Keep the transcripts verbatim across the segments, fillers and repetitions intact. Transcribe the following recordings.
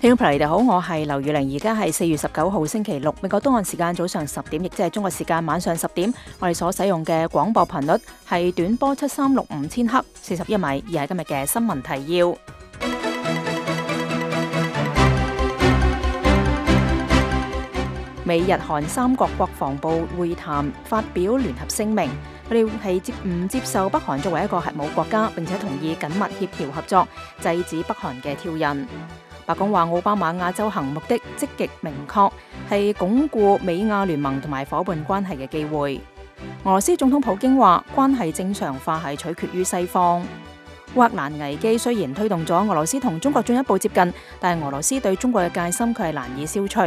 聽眾朋友，你哋好，我係劉宇玲，而家係四月十九號星期六，美國東岸時間早上十點，亦即係中國時間晚上十點。我哋所使用嘅廣播頻率係短波七三六五千赫，四十一米，而係今日嘅新聞提要。美日韓三國國防部會談發表聯合聲明，佢哋係接唔接受北韓作為一個核武國家，並且同意緊密協調合作，制止北韓嘅挑釁。白宮話奧巴馬亞洲行目的積極明確，係鞏固美亞聯盟同埋夥伴關係嘅機會。俄羅斯總統普京話關係正常化係取決於西方。烏克蘭危機雖然推動咗俄羅斯同中國進一步接近，但係俄羅斯對中國嘅戒心卻係難以消除。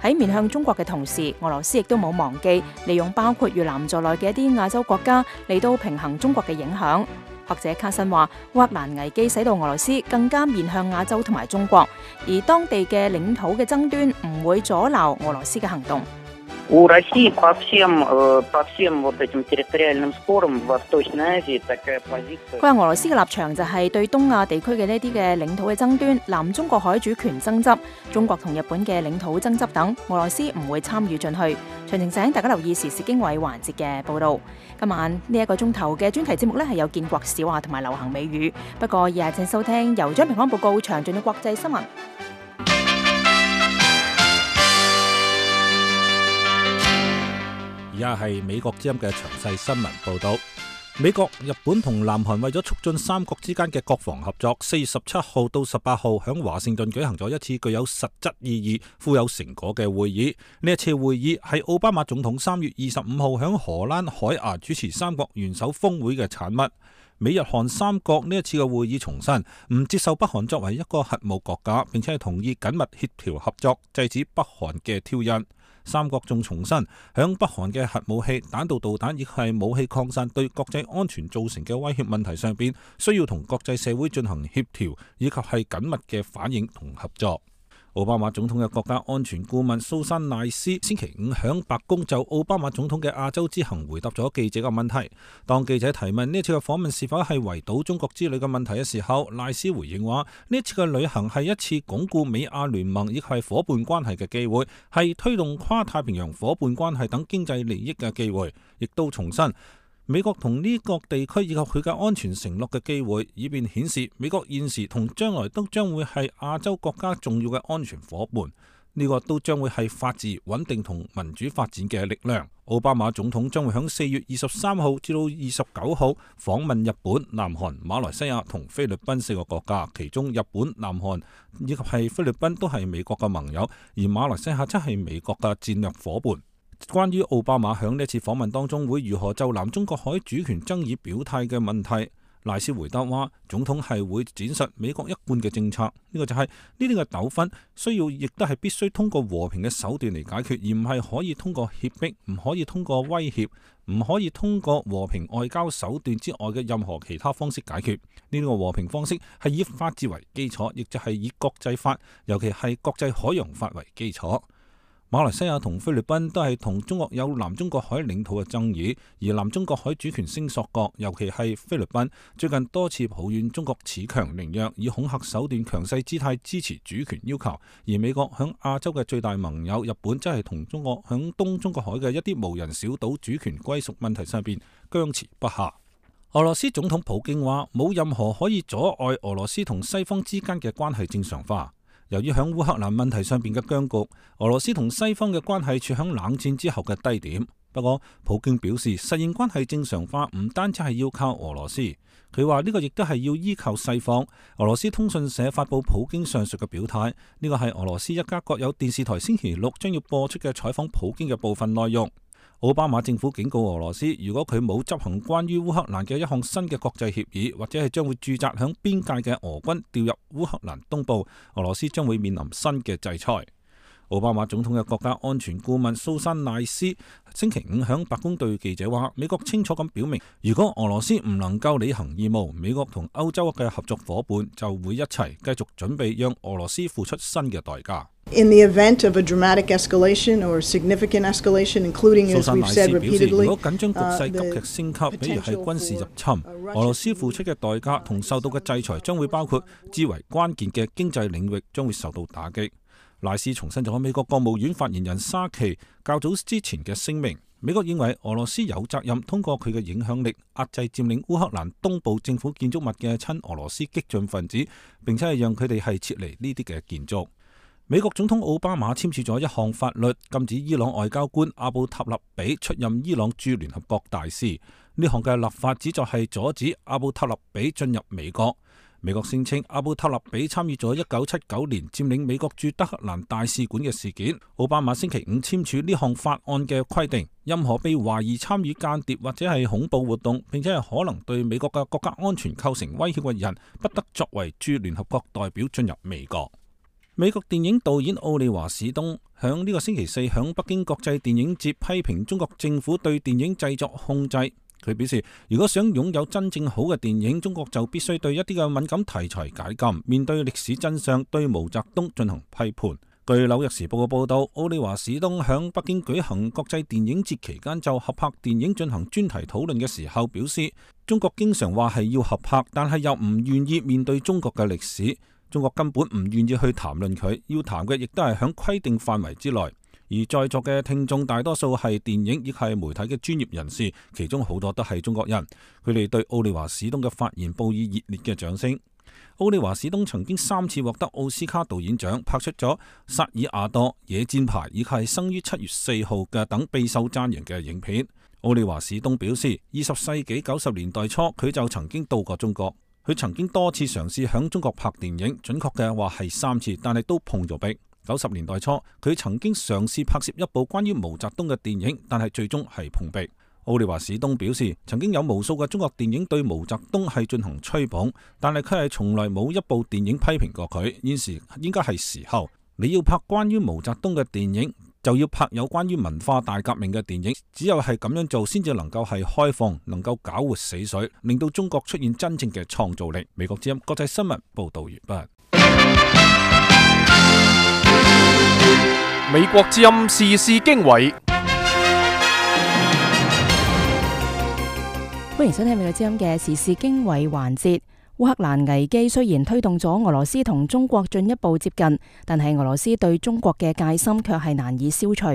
喺面向中國嘅同時，俄羅斯亦都冇忘記利用包括越南在內嘅一啲亞洲國家嚟到平衡中國嘅影響。學者卡辛話，烏克蘭危機使到俄羅斯更加面向亞洲同埋中國，而當地嘅領土嘅爭端唔會阻撓俄羅斯嘅行動。У России по всем, по всем вот этим территориальным спорам в Восточной Азии такая позиция。佢話俄羅斯嘅立場就係對東亞地區嘅呢啲嘅領土嘅爭端、南中國海主權爭執、中國同日本嘅領土爭執等，俄羅斯唔會參與進去。詳情請大家留意時事經緯環節嘅報導。今晚呢一個鐘頭嘅專題節目呢係有建國小話同埋流行美語，不過以下請收聽由張平安報告詳盡嘅國際新聞。而家係美國之音嘅詳細新聞報道。美國、日本同南韓為咗促進三國之間嘅國防合作，四月十七號到十八號響華盛頓舉行咗一次具有實質意義、富有成果嘅會議。呢一次會議係奧巴馬總統三月二十五號響荷蘭海牙主持三國元首峰會嘅產物。美日韓三國呢一次嘅會議重申唔接受北韓作為一個核武國家，並且係同意緊密協調合作，制止北韓嘅挑釁。三國仲重申，響北韓嘅核武器、彈道導彈亦係武器擴散對國際安全造成嘅威脅問題上邊，需要同國際社會進行協調，以及係緊密嘅反應同合作。奧巴馬總統嘅國家安全顧問蘇珊賴斯星期五響白宮就奧巴馬總統嘅亞洲之行回答咗記者嘅問題。當記者提問呢次嘅訪問是否係圍堵中國之類嘅問題嘅時候，賴斯回應話：呢次嘅旅行係一次鞏固美亞聯盟亦係伙伴關係嘅機會，係推動跨太平洋伙伴關係等經濟利益嘅機會，亦都重申美國同呢個地區以及佢嘅安全承諾嘅機會，以便顯示美國現時同將來都將會係亞洲國家重要嘅安全伙伴。呢個都將會係法治、穩定同民主發展嘅力量。奧巴馬總統將會喺四月二十三號至到二十九號訪問日本、南韓、馬來西亞同菲律賓四個國家，其中日本、南韓以及係菲律賓都係美國嘅盟友，而馬來西亞則係美國嘅戰略伙伴。關於奧巴馬響呢次訪問當中會如何就南中國海主權爭議表態嘅問題，賴斯回答話，總統係會展示美國一貫嘅政策，呢、這個就係呢啲嘅糾紛需要亦都係必須通過和平嘅手段嚟解決，而唔係可以通過脅迫，唔可以通過威脅，唔可以通過和平外交手段之外嘅任何其他方式解決。呢、這個和平方式係以法治為基礎，亦就係以國際法，尤其係國際海洋法為基礎。馬來西亞同菲律賓都係同中國有南中國海領土嘅爭議，而南中國海主權聲索國，尤其係菲律賓，最近多次抱怨中國恃強凌弱，以恐嚇手段強勢姿態支持主權要求。而美國響亞洲嘅最大盟友日本，則係同中國響東中國海嘅一啲無人小島主權歸屬問題上邊僵持不下。俄羅斯總統普京話，冇任何可以阻礙俄羅斯同西方之間嘅關係正常化。由於響烏克蘭問題上邊嘅僵局，俄羅斯同西方嘅關係處響冷戰之後嘅低點。不過，普京表示實現關係正常化唔單止係要靠俄羅斯，佢話呢個亦都係要依靠西方。俄羅斯通訊社發佈普京上述嘅表態，呢個係俄羅斯一家國有電視台星期六將要播出嘅採訪普京嘅部分內容。奧巴馬政府警告俄羅斯，如果佢冇執行關於烏克蘭嘅一項新嘅國際協議，或者係將會駐紮響邊界嘅俄軍調入烏克蘭東部，俄羅斯將會面臨新嘅制裁。奧巴馬總統嘅國家安全顧問蘇珊賴斯星期五響白宮對記者話，美國清楚咁表明，如果俄羅斯唔能夠履行義務，美國同歐洲嘅合作夥伴就會一齊繼續準備讓俄羅斯付出新嘅代價。In the event of a dramatic escalation or significant escalation, including, as we've said repeatedly, 如果緊張局勢急劇升級，比如係軍事入侵，俄羅斯付出嘅代價同受到嘅制裁將會包括至為關鍵嘅經濟領域將會受到打擊。賴斯重申咗美國國務院發言人沙奇較早之前嘅聲明，美國認為俄羅斯有責任通過佢嘅影響力壓制佔領烏克蘭東部政府建築物嘅親俄羅斯激進分子，並且係讓佢哋係撤離呢啲嘅建築。美國總統奧巴馬簽署咗一項法律，禁止伊朗外交官阿布塔勒比出任伊朗駐聯合國大使。呢項嘅立法旨在係阻止阿布塔勒比進入美國。美國聲稱阿布塔勒比參與咗一九七九年佔領美國駐德黑蘭大使館嘅事件。奧巴馬星期五簽署呢項法案嘅規定，任何被懷疑參與間諜或者係恐怖活動，並且係可能對美國嘅國家安全構成威脅嘅人，不得作為駐聯合國代表進入美國。美國電影導演奧利華史東響呢個星期四響北京國際電影節批評中國政府對電影製作控制。佢表示，如果想擁有真正好嘅電影，中國就必須對一啲嘅敏感題材解禁，面對歷史真相，對毛澤東進行批判。據紐約時報嘅報道，奧利華史東響北京舉行國際電影節期間就合拍電影進行專題討論嘅時候表示，中國經常話係要合拍，但係又唔願意面對中國嘅歷史，中國根本唔願意去談論佢，要談嘅亦都係響規定範圍之內。而在座嘅聽眾大多數係電影亦係媒體嘅專業人士，其中好多都係中國人，佢哋對奧利華史東嘅發言報以熱烈嘅掌聲。奧利華史東曾經三次獲得奧斯卡導演獎，拍出咗《薩爾亞多》、《野戰牌》以及係生於七月四號嘅等備受讚揚嘅影片。奧利華史東表示，二十世紀九十年代初佢就曾經到過中國，佢曾經多次嘗試響中國拍電影，準確嘅話係三次，但係都碰咗壁。九十年代初，佢曾經嘗試拍攝一部關於毛澤東嘅電影，但係最終係碰壁。奧利華史東表示，曾經有無數嘅中國電影對毛澤東係進行吹捧，但係佢係從來冇一部電影批評過佢。現時應該係時候，你要拍關於毛澤東嘅電影，就要拍有關於文化大革命嘅電影。只有係咁樣做，先至能夠係開放，能夠搞活死水，令到中國出現真正嘅創造力。美國之音國際新聞報道完畢。美國之音時事經緯，歡迎收聽美國之音嘅時事經緯環節。烏克蘭危機雖然推動咗俄羅斯同中國進一步接近，但係俄羅斯對中國嘅戒心卻係難以消除。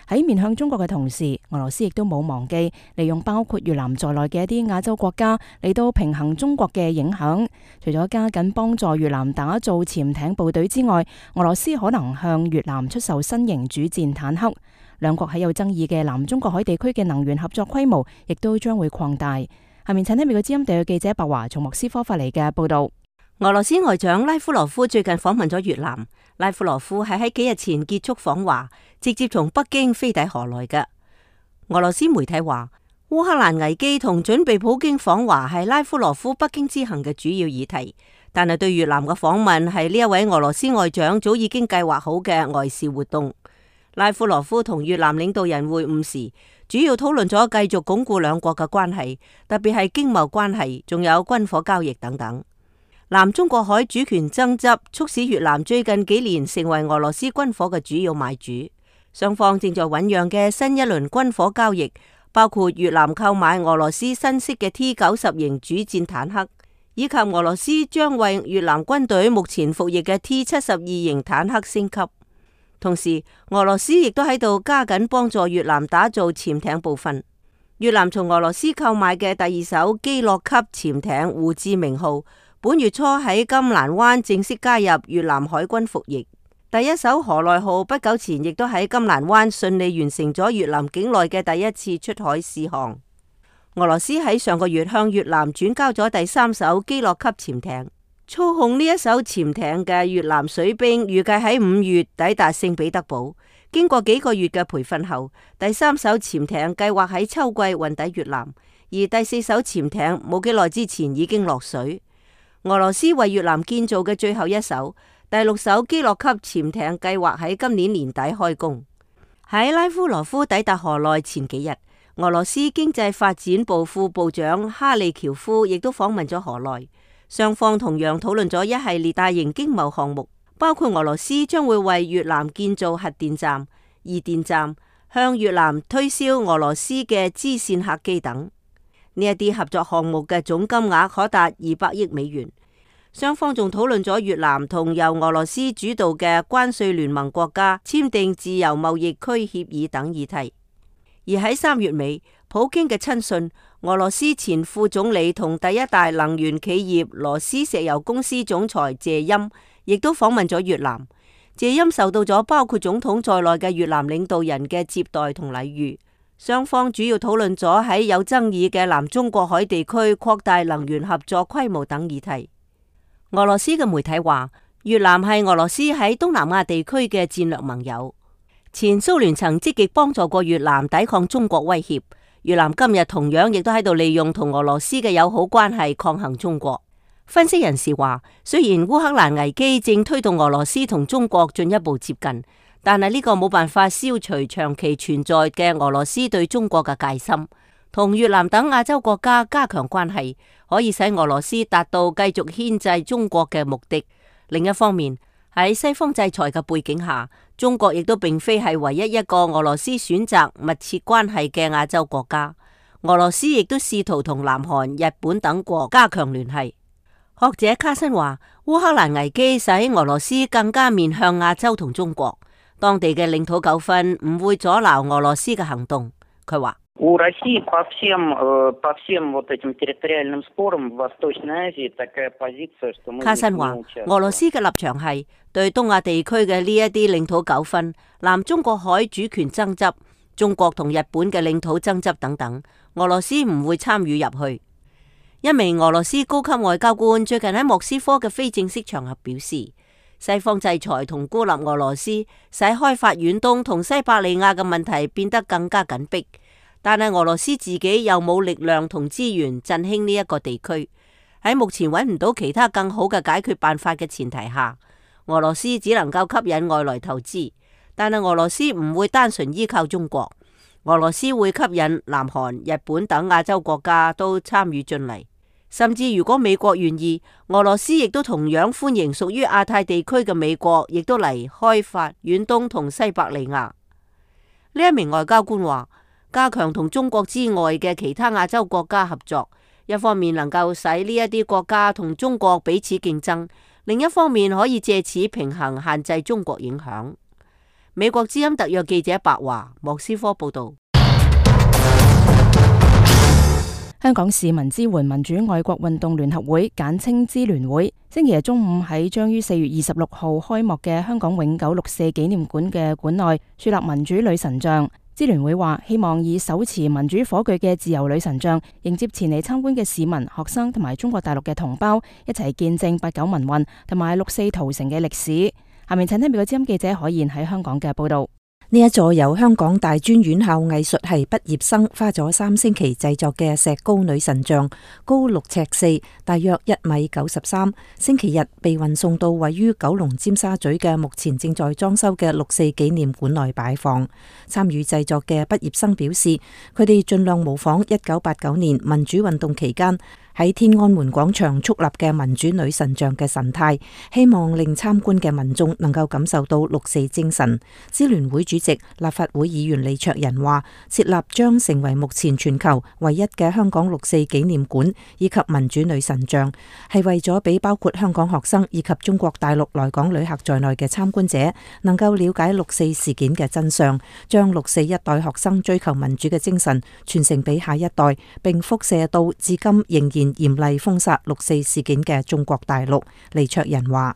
喺面向中國嘅同時，俄羅斯亦都冇忘記利用包括越南在內嘅一啲亞洲國家嚟到平衡中國嘅影響。除咗加緊幫助越南打造潛艇部隊之外，俄羅斯可能向越南出售新型主戰坦克。兩國喺有爭議嘅南中國海地區嘅能源合作規模亦都將會擴大。下面請聽美國之音地嘅記者白華從莫斯科發嚟嘅報道。俄羅斯外長拉夫羅夫最近訪問咗越南。拉夫羅夫係喺幾日前結束訪華，直接從北京飛抵河內嘅。俄羅斯媒體話，烏克蘭危機同準備普京訪華係拉夫羅夫北京之行嘅主要議題，但係對越南嘅訪問係呢一位俄羅斯外長早已經計劃好嘅外事活動。拉夫羅夫同越南領導人會晤時，主要討論咗繼續鞏固兩國嘅關係，特別係經貿關係，仲有軍火交易等等。南中國海主權爭執促使越南最近幾年成為俄羅斯軍火嘅主要買主。雙方正在醞釀嘅新一輪軍火交易，包括越南購買俄羅斯新式嘅 T 九十型主戰坦克，以及俄羅斯將為越南軍隊目前服役嘅 T 七十二型坦克升級。同時，俄羅斯亦都喺度加緊幫助越南打造潛艇部分。越南從俄羅斯購買嘅第二艘基洛級潛艇胡志明號，本月初喺金蘭灣正式加入越南海軍服役。第一艘河內號不久前亦都喺金蘭灣順利完成咗越南境內嘅第一次出海試航。俄羅斯喺上個月向越南轉交咗第三艘基洛級潛艇。操控呢一艘潛艇嘅越南水兵預計喺五月抵達聖彼得堡，經過幾個月嘅培訓後，第三艘潛艇計劃喺秋季運抵越南，而第四艘潛艇冇幾耐之前已經落水。俄羅斯為越南建造嘅最後一艘第六艘基洛級潛艇計劃喺今年年底開工。喺拉夫羅夫抵達河內前幾日，俄羅斯經濟發展部副部長哈利喬夫亦都訪問咗河內，雙方同樣討論咗一系列大型經貿項目，包括俄羅斯將會為越南建造核電站、二電站，向越南推銷俄羅斯嘅支線客機等。呢一啲合作項目嘅總金額可達二百億美元。雙方仲討論咗越南同由俄羅斯主導嘅關稅聯盟國家簽訂自由貿易區協議等議題。而喺三月尾，普京嘅親信俄羅斯前副總理同第一大能源企業羅斯石油公司總裁謝欽亦都訪問咗越南。謝欽受到咗包括總統在內嘅越南領導人嘅接待同禮遇。雙方主要討論咗喺有爭議嘅南中國海地區擴大能源合作規模等議題。俄羅斯嘅媒體話，越南係俄羅斯喺東南亞地區嘅戰略盟友。前蘇聯曾積極幫助過越南抵抗中國威脅，越南今日同樣亦都喺度利用同俄羅斯嘅友好關係抗衡中國。分析人士話，雖然烏克蘭危機正推動俄羅斯同中國進一步接近，但係呢個冇辦法消除長期存在嘅俄羅斯對中國嘅戒心。同越南等亞洲國家加強關係，可以使俄羅斯達到繼續牽制中國嘅目的。另一方面，喺西方制裁嘅背景下，中國亦都並非係唯一一個俄羅斯選擇密切關係嘅亞洲國家。俄羅斯亦都試圖同南韓、日本等國加強聯繫。學者卡森話，烏克蘭危機使俄羅斯更加面向亞洲同中國，當地嘅領土糾紛唔會阻撓俄羅斯嘅行動。佢話，卡森話，俄羅斯嘅立場係對東亞地區嘅呢一啲領土糾紛、南中國海主權爭執、中國同日本嘅領土爭執等等，俄羅斯唔會參與入去。一名俄羅斯高級外交官最近喺莫斯科嘅非正式場合表示，西方制裁同孤立俄羅斯，使開發遠東同西伯利亞嘅問題變得更加緊迫。但係俄羅斯自己又冇力量同資源振興呢一個地區，喺目前揾唔到其他更好嘅解決辦法嘅前提下，俄羅斯只能夠吸引外來投資。但係俄羅斯唔會單純依靠中國，俄羅斯會吸引南韓、日本等亞洲國家都參與進嚟。甚至如果美國願意，俄羅斯亦都同樣歡迎屬於亞太地區嘅美國，亦都嚟開發遠東同西伯利亞。呢一名外交官話，加強同中國之外嘅其他亞洲國家合作，一方面能夠使呢一啲國家同中國彼此競爭，另一方面可以借此平衡限制中國影響。美國之音特約記者白華，莫斯科報道。香港市民支援民主愛國運動聯合會簡稱支聯會，星期日中午喺將於四月二十六號開幕嘅香港永久六四紀念館嘅館內樹立民主女神像。支聯會話希望以手持民主火炬嘅自由女神像迎接前嚟參觀嘅市民、學生同埋中國大陸嘅同胞，一齊見證八九民運同埋六四屠城嘅歷史。下面請聽美國之音記者海燕喺香港嘅報道。呢一座由香港大專院校藝術系畢業生花咗三星期製作嘅石膏女神像，高六尺四，大約一米九十三。星期日被運送到位於九龍尖沙咀嘅目前正在裝修嘅六四紀念館內擺放。參與製作嘅畢業生表示，佢哋盡量模仿一九八九年民主運動期間喺天安門廣場矗立嘅民主女神像嘅神態，希望令參觀嘅民眾能夠感受到六四精神。支聯會主席立法會議員李卓人話，設立將成為目前全球唯一嘅香港六四紀念館以及民主女神像，係為咗俾包括香港學生以及中國大陸來港旅客在內嘅參觀者能夠了解六四事件嘅真相，將六四一代學生追求民主嘅精神傳承俾下一代，並輻射到至今仍然嚴厲封殺六四事件嘅中國大陸。李卓人話：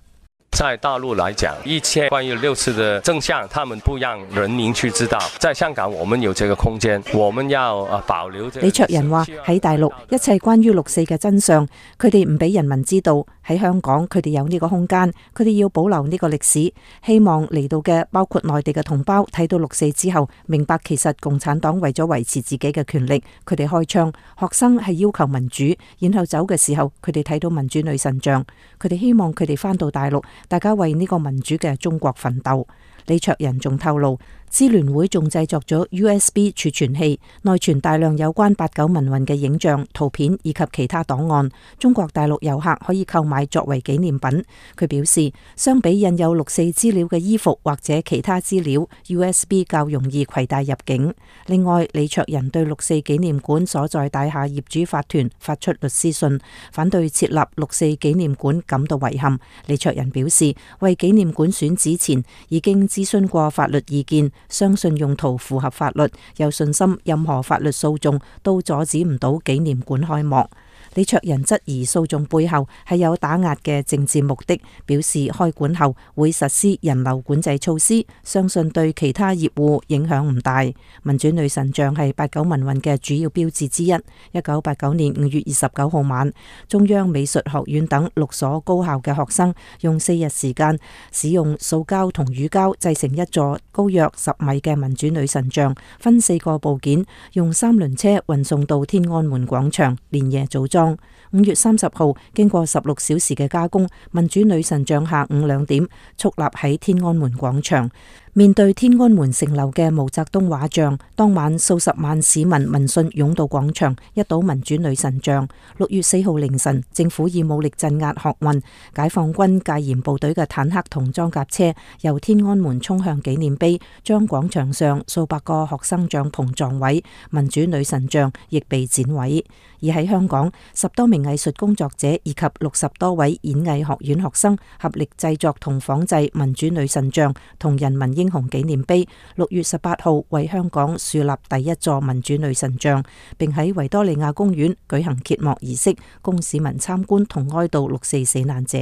在大陸來講，一切關於六四的真相，他們不讓人民去知道。在香港，我們有這個空間，我們要啊保留。李卓人話：喺大陸，一切關於六四嘅真相，佢哋唔俾人民知道。喺香港，佢哋有呢個空間，佢哋要保留呢個歷史。希望嚟到嘅包括內地嘅同胞睇到六四之後，明白其實共產黨為咗維持自己嘅權力，佢哋開槍。學生係要求民主，然後走嘅時候，佢哋睇到民主女神像，佢哋希望佢哋返到大陸。大家為呢個民主嘅中國奮鬥。李卓人仲透露，支聯會仲製作咗 U S B 儲存器，內存大量有關八九民運嘅影像、圖片以及其他檔案，中國大陸遊客可以購買作為紀念品。佢表示，相比印有六四資料嘅衣服或者其他資料 ，U S B 較容易攜帶入境。另外，李卓人對六四紀念館所在大廈業主法團發出律師信，反對設立六四紀念館感到遺憾。李卓人表示，為紀念館選址前已經諮詢過法律意見，相信用途符合法律，有信心任何法律訴訟都阻止唔到紀念館開幕。李卓人質疑訴訟背後係有打壓嘅政治目的，表示開館後會實施人流管制措施，相信對其他業戶影響唔大。民主女神像係八九民運嘅主要標誌之一。一九八九年五月二十九號晚，中央美術學院等六所高校嘅學生用四日時間，使用塑膠同乳膠製成一座高約十米嘅民主女神像，分四個部件，用三輪車運送到天安門廣場，連夜組裝。五月三十號，經過十六小時嘅加工，民主女神像下午兩點矗立喺天安門廣場。面對天安門城樓嘅毛澤東畫像，當晚數十萬市民聞訊湧到廣場，一睹民主女神像。六月四號凌晨，政府以武力鎮壓學運，解放軍戒嚴部隊嘅坦克同裝甲車由天安門衝向紀念碑，將廣場上數百個學生帳篷撞毀，民主女神像亦被剪毀。而喺香港，十多名藝術工作者以及六十多位演藝學院學生合力製作同仿製民主女神像同人民英雄紀念碑。六月十八號為香港樹立第一座民主女神像，並喺維多利亞公園舉行揭幕儀式，供市民參觀同哀悼六四死難者。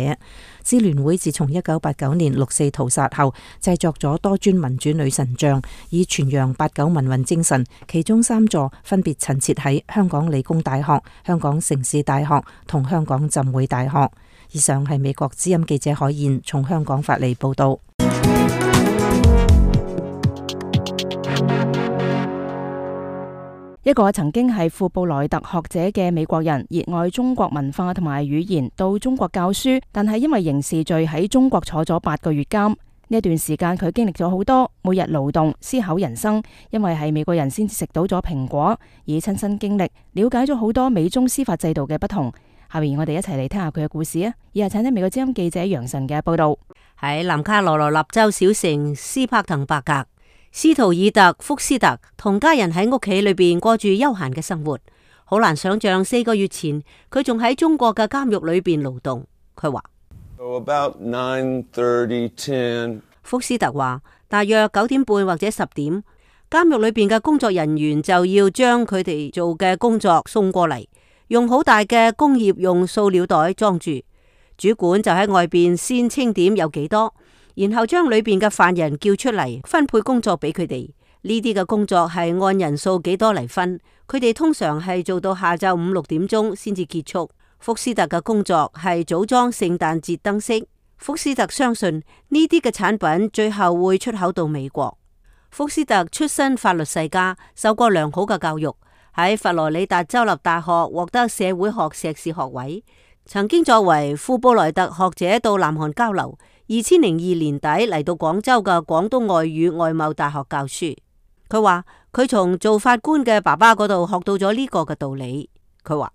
支聯會自從一九八九年六四屠殺後，製作咗多尊民主女神像，以傳揚八九民運精神。其中三座分別陳設喺香港理工大學、香港城市大學同香港浸會大學。以上係美國之音記者海燕從香港發嚟報道。一個曾經係富布萊特學者嘅美國人，熱愛中國文化同埋語言，到中國教書，但係因為刑事罪喺中國坐咗八個月監。呢一段時間佢經歷咗好多，每日勞動思考人生，因為係美國人先至食到咗蘋果，以親身經歷了解咗好多美中司法制度嘅不同。下面我哋一齊嚟聽下佢嘅故事啊！以下請聽美國之音記者楊晨嘅報道。喺南卡羅來納州小城斯帕滕伯格，斯圖爾特福斯特同家人喺屋企裏邊過住悠閒嘅生活，好難想象四個月前佢仲喺中國嘅監獄裏邊勞動。佢話So about nine thirty, ten 福斯特話，大約九點半或者十點，監獄裏邊嘅工作人員就要將佢哋做嘅工作送過嚟，用好大嘅工業用塑料袋裝住。主管就喺外邊先清點有幾多，然後將裏邊嘅犯人叫出嚟，分配工作俾佢哋。呢啲嘅工作係按人數幾多嚟分，佢哋通常係做到下晝五六點鐘先至結束。福斯特嘅工作係組裝聖誕節燈飾。福斯特相信呢啲嘅產品最後會出口到美國。福斯特出身法律世家，受過良好嘅教育，喺佛羅里達州立大學獲得社會學碩士學位，曾經作為富布萊特學者到南韓交流。二千零二年底嚟到廣州嘅廣東外語外貿大學教書。佢話佢從做法官嘅爸爸嗰度學到咗呢個嘅道理。佢話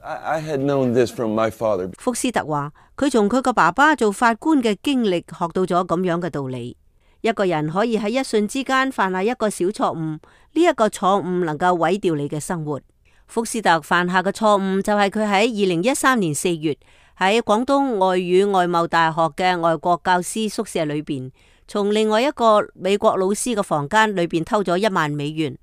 I had known this from my father. 福斯特話佢從佢個爸爸做法官嘅經歷學到咗咁樣嘅道理。一個人可以喺一瞬之間犯下一個小錯誤，呢一個錯誤能夠毀掉你嘅生活。福斯特犯下嘅錯誤就係佢喺二零一三年四月喺廣東外語外貿大學嘅外國教師宿舍裏邊，從另外一個美國老師嘅房間裏邊偷咗一萬美元。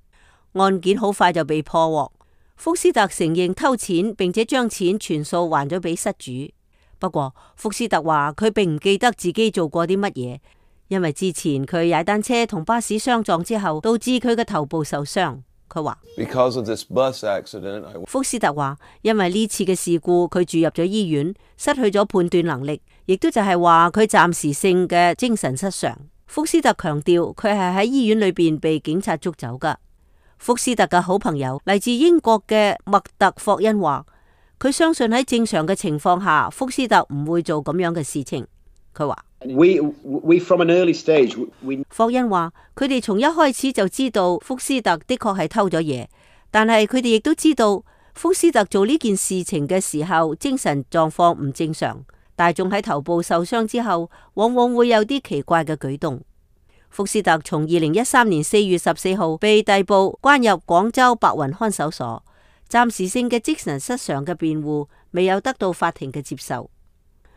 案件好快就被破獲。福斯特承認偷錢，並且將錢全數還咗俾失主。不過福斯特話佢並唔記得自己做過啲乜嘢，因為之前佢踩單車同巴士相撞之後，導致佢嘅頭部受傷。佢話Because of this bus accident, I... 福斯特話，因為呢次嘅事故，佢住入咗醫院，失去咗判斷能力，亦都就係話佢暫時性嘅精神失常。福斯特強調佢係喺醫院裏邊被警察捉走噶。福斯特嘅好朋友嚟自英國嘅麥特霍恩話，佢相信喺正常嘅情況下，福斯特唔會做咁樣嘅事情。佢話。We, we from an early stage, we... 霍恩話佢哋從一開始就知道福斯特的確係偷咗嘢，但係佢哋亦都知道福斯特做呢件事情嘅時候精神狀況唔正常，大眾喺頭部受傷之後往往會有啲奇怪嘅舉動。福斯特從二零一三年四月十四號被逮捕關入廣州白雲看守所，暫時性嘅精神失常嘅辯護未有得到法庭嘅接受。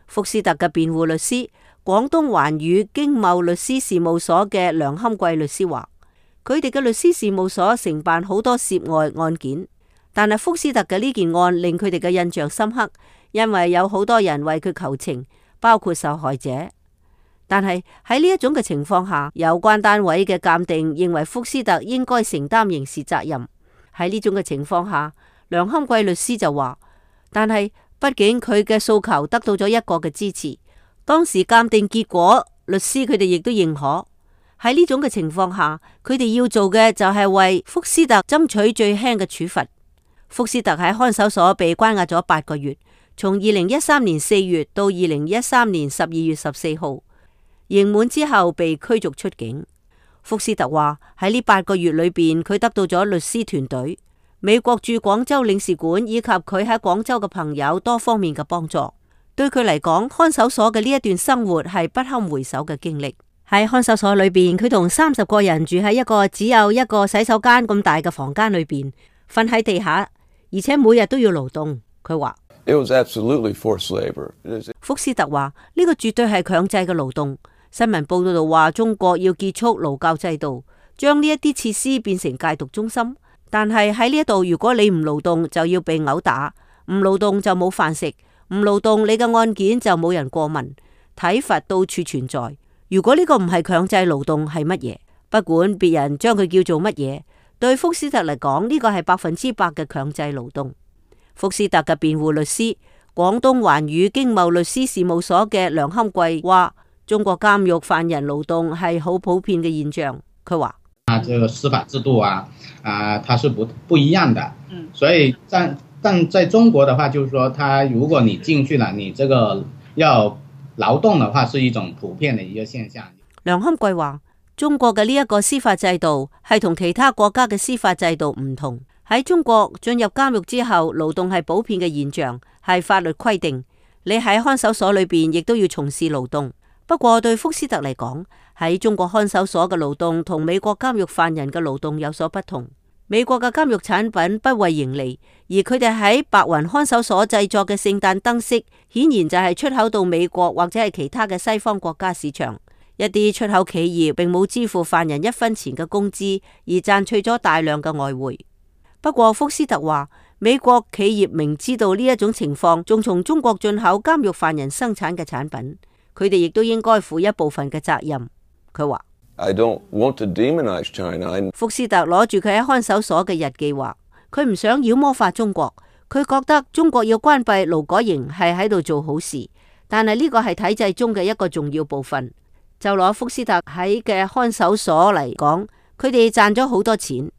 福斯特嘅辯護律師廣東環宇經貿律師事務所嘅梁堪貴律師話，佢哋嘅律師事務所承辦好多涉外案件，但係福斯特嘅呢件案令佢哋嘅印象深刻，因為有好多人為佢求情，包括受害者。但係喺呢一種嘅情況下，有關單位嘅鑑定認為福斯特應該承擔刑事責任。喺呢種嘅情況下，梁堪貴律師就話，但係畢竟佢嘅訴求得到咗一個嘅支持，當時鑑定結果，律師佢哋亦都認可。喺呢種嘅情況下，佢哋要做嘅就係為福斯特爭取最輕嘅處罰。福斯特喺看守所被關押咗八個月，從二零一三年四月到二零一三年十二月十四號，刑滿之後被驅逐出境。福斯特話喺呢八個月裏邊，佢得到咗律師團隊、美國駐廣州領事館以及佢喺廣州嘅朋友多方面嘅幫助。對佢嚟講，看守所嘅呢一段生活係不堪回首嘅經歷。喺看守所裏邊，佢同三十個人住喺一個只有一個洗手間咁大嘅房間裏邊，瞓喺地下，而且每日都要勞動。佢話It was absolutely forced labor. 福斯特話呢個絕對係強制嘅勞動。新聞報道話中國要結束勞教制度，將呢一啲設施變成戒毒中心。但係喺呢一度，如果你唔勞動就要被毆打，唔勞動就冇飯食，唔勞動你嘅案件就冇人過問，體罰到處存在。如果呢個唔係強制勞動係乜嘢？不管別人將佢叫做乜嘢，對福斯特嚟講呢個係百分之百嘅強制勞動。福斯特嘅辯護律師廣東環宇經貿律師事務所嘅梁堪貴話，中國監獄犯人勞動係好普遍嘅現象。佢話啊，這個司法制度啊，啊，它是不不一樣的。嗯，所以在但在中國的話，就是說，他如果你進去了，你這個要勞動的話，是一種普遍的一個現象。梁堪貴話，中國嘅呢一個司法制度係同其他國家嘅司法制度唔同。喺中國進入監獄之後，勞動係普遍嘅現象，係法律規定。你喺看守所裏邊亦都要從事勞動。不過對福斯特嚟講，喺中國看守所嘅勞動同美國監獄犯人嘅勞動有所不同。美國嘅監獄產品不為盈利，而佢哋喺白雲看守所製作嘅聖誕燈飾，顯然就係出口到美國或者係其他嘅西方國家市場。一啲出口企業並冇支付犯人一分錢嘅工資，而賺取咗大量嘅外匯。不過福斯特話，美國企業明知道呢一種情況，仲從中國進口監獄犯人生產嘅產品，佢哋亦都應該負一部分嘅責任。佢話I don't want to demonize China. 福斯特攞住佢喺看守所嘅日記話，佢唔想妖魔化中國，佢覺得中國要關閉勞改營係喺度做好事，但係呢個係體制中嘅一個重要部分。就攞福斯特喺嘅看守所嚟講，佢哋賺咗好多錢。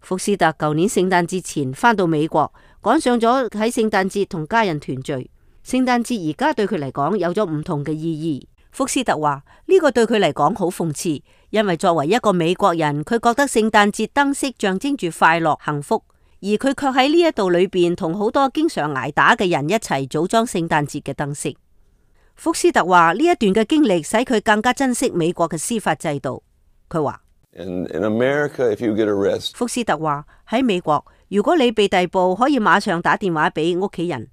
福斯特舊年聖誕節前返到美國，趕上咗喺聖誕節同家人團聚。聖誕節而家對佢嚟講有咗唔同嘅意義。福斯特話呢個對佢嚟講好諷刺，因為作為一個美國人，佢覺得聖誕節燈飾象徵住快樂幸福，而佢卻喺呢一度裏邊同好多經常挨打嘅人一齊組裝聖誕節嘅燈飾。福斯特話呢一段嘅經歷使佢更加珍惜美國嘅司法制度。佢話In, in America, if you get arrested, 福斯特話喺美國，如果你被逮捕，可以馬上打電話俾屋企人。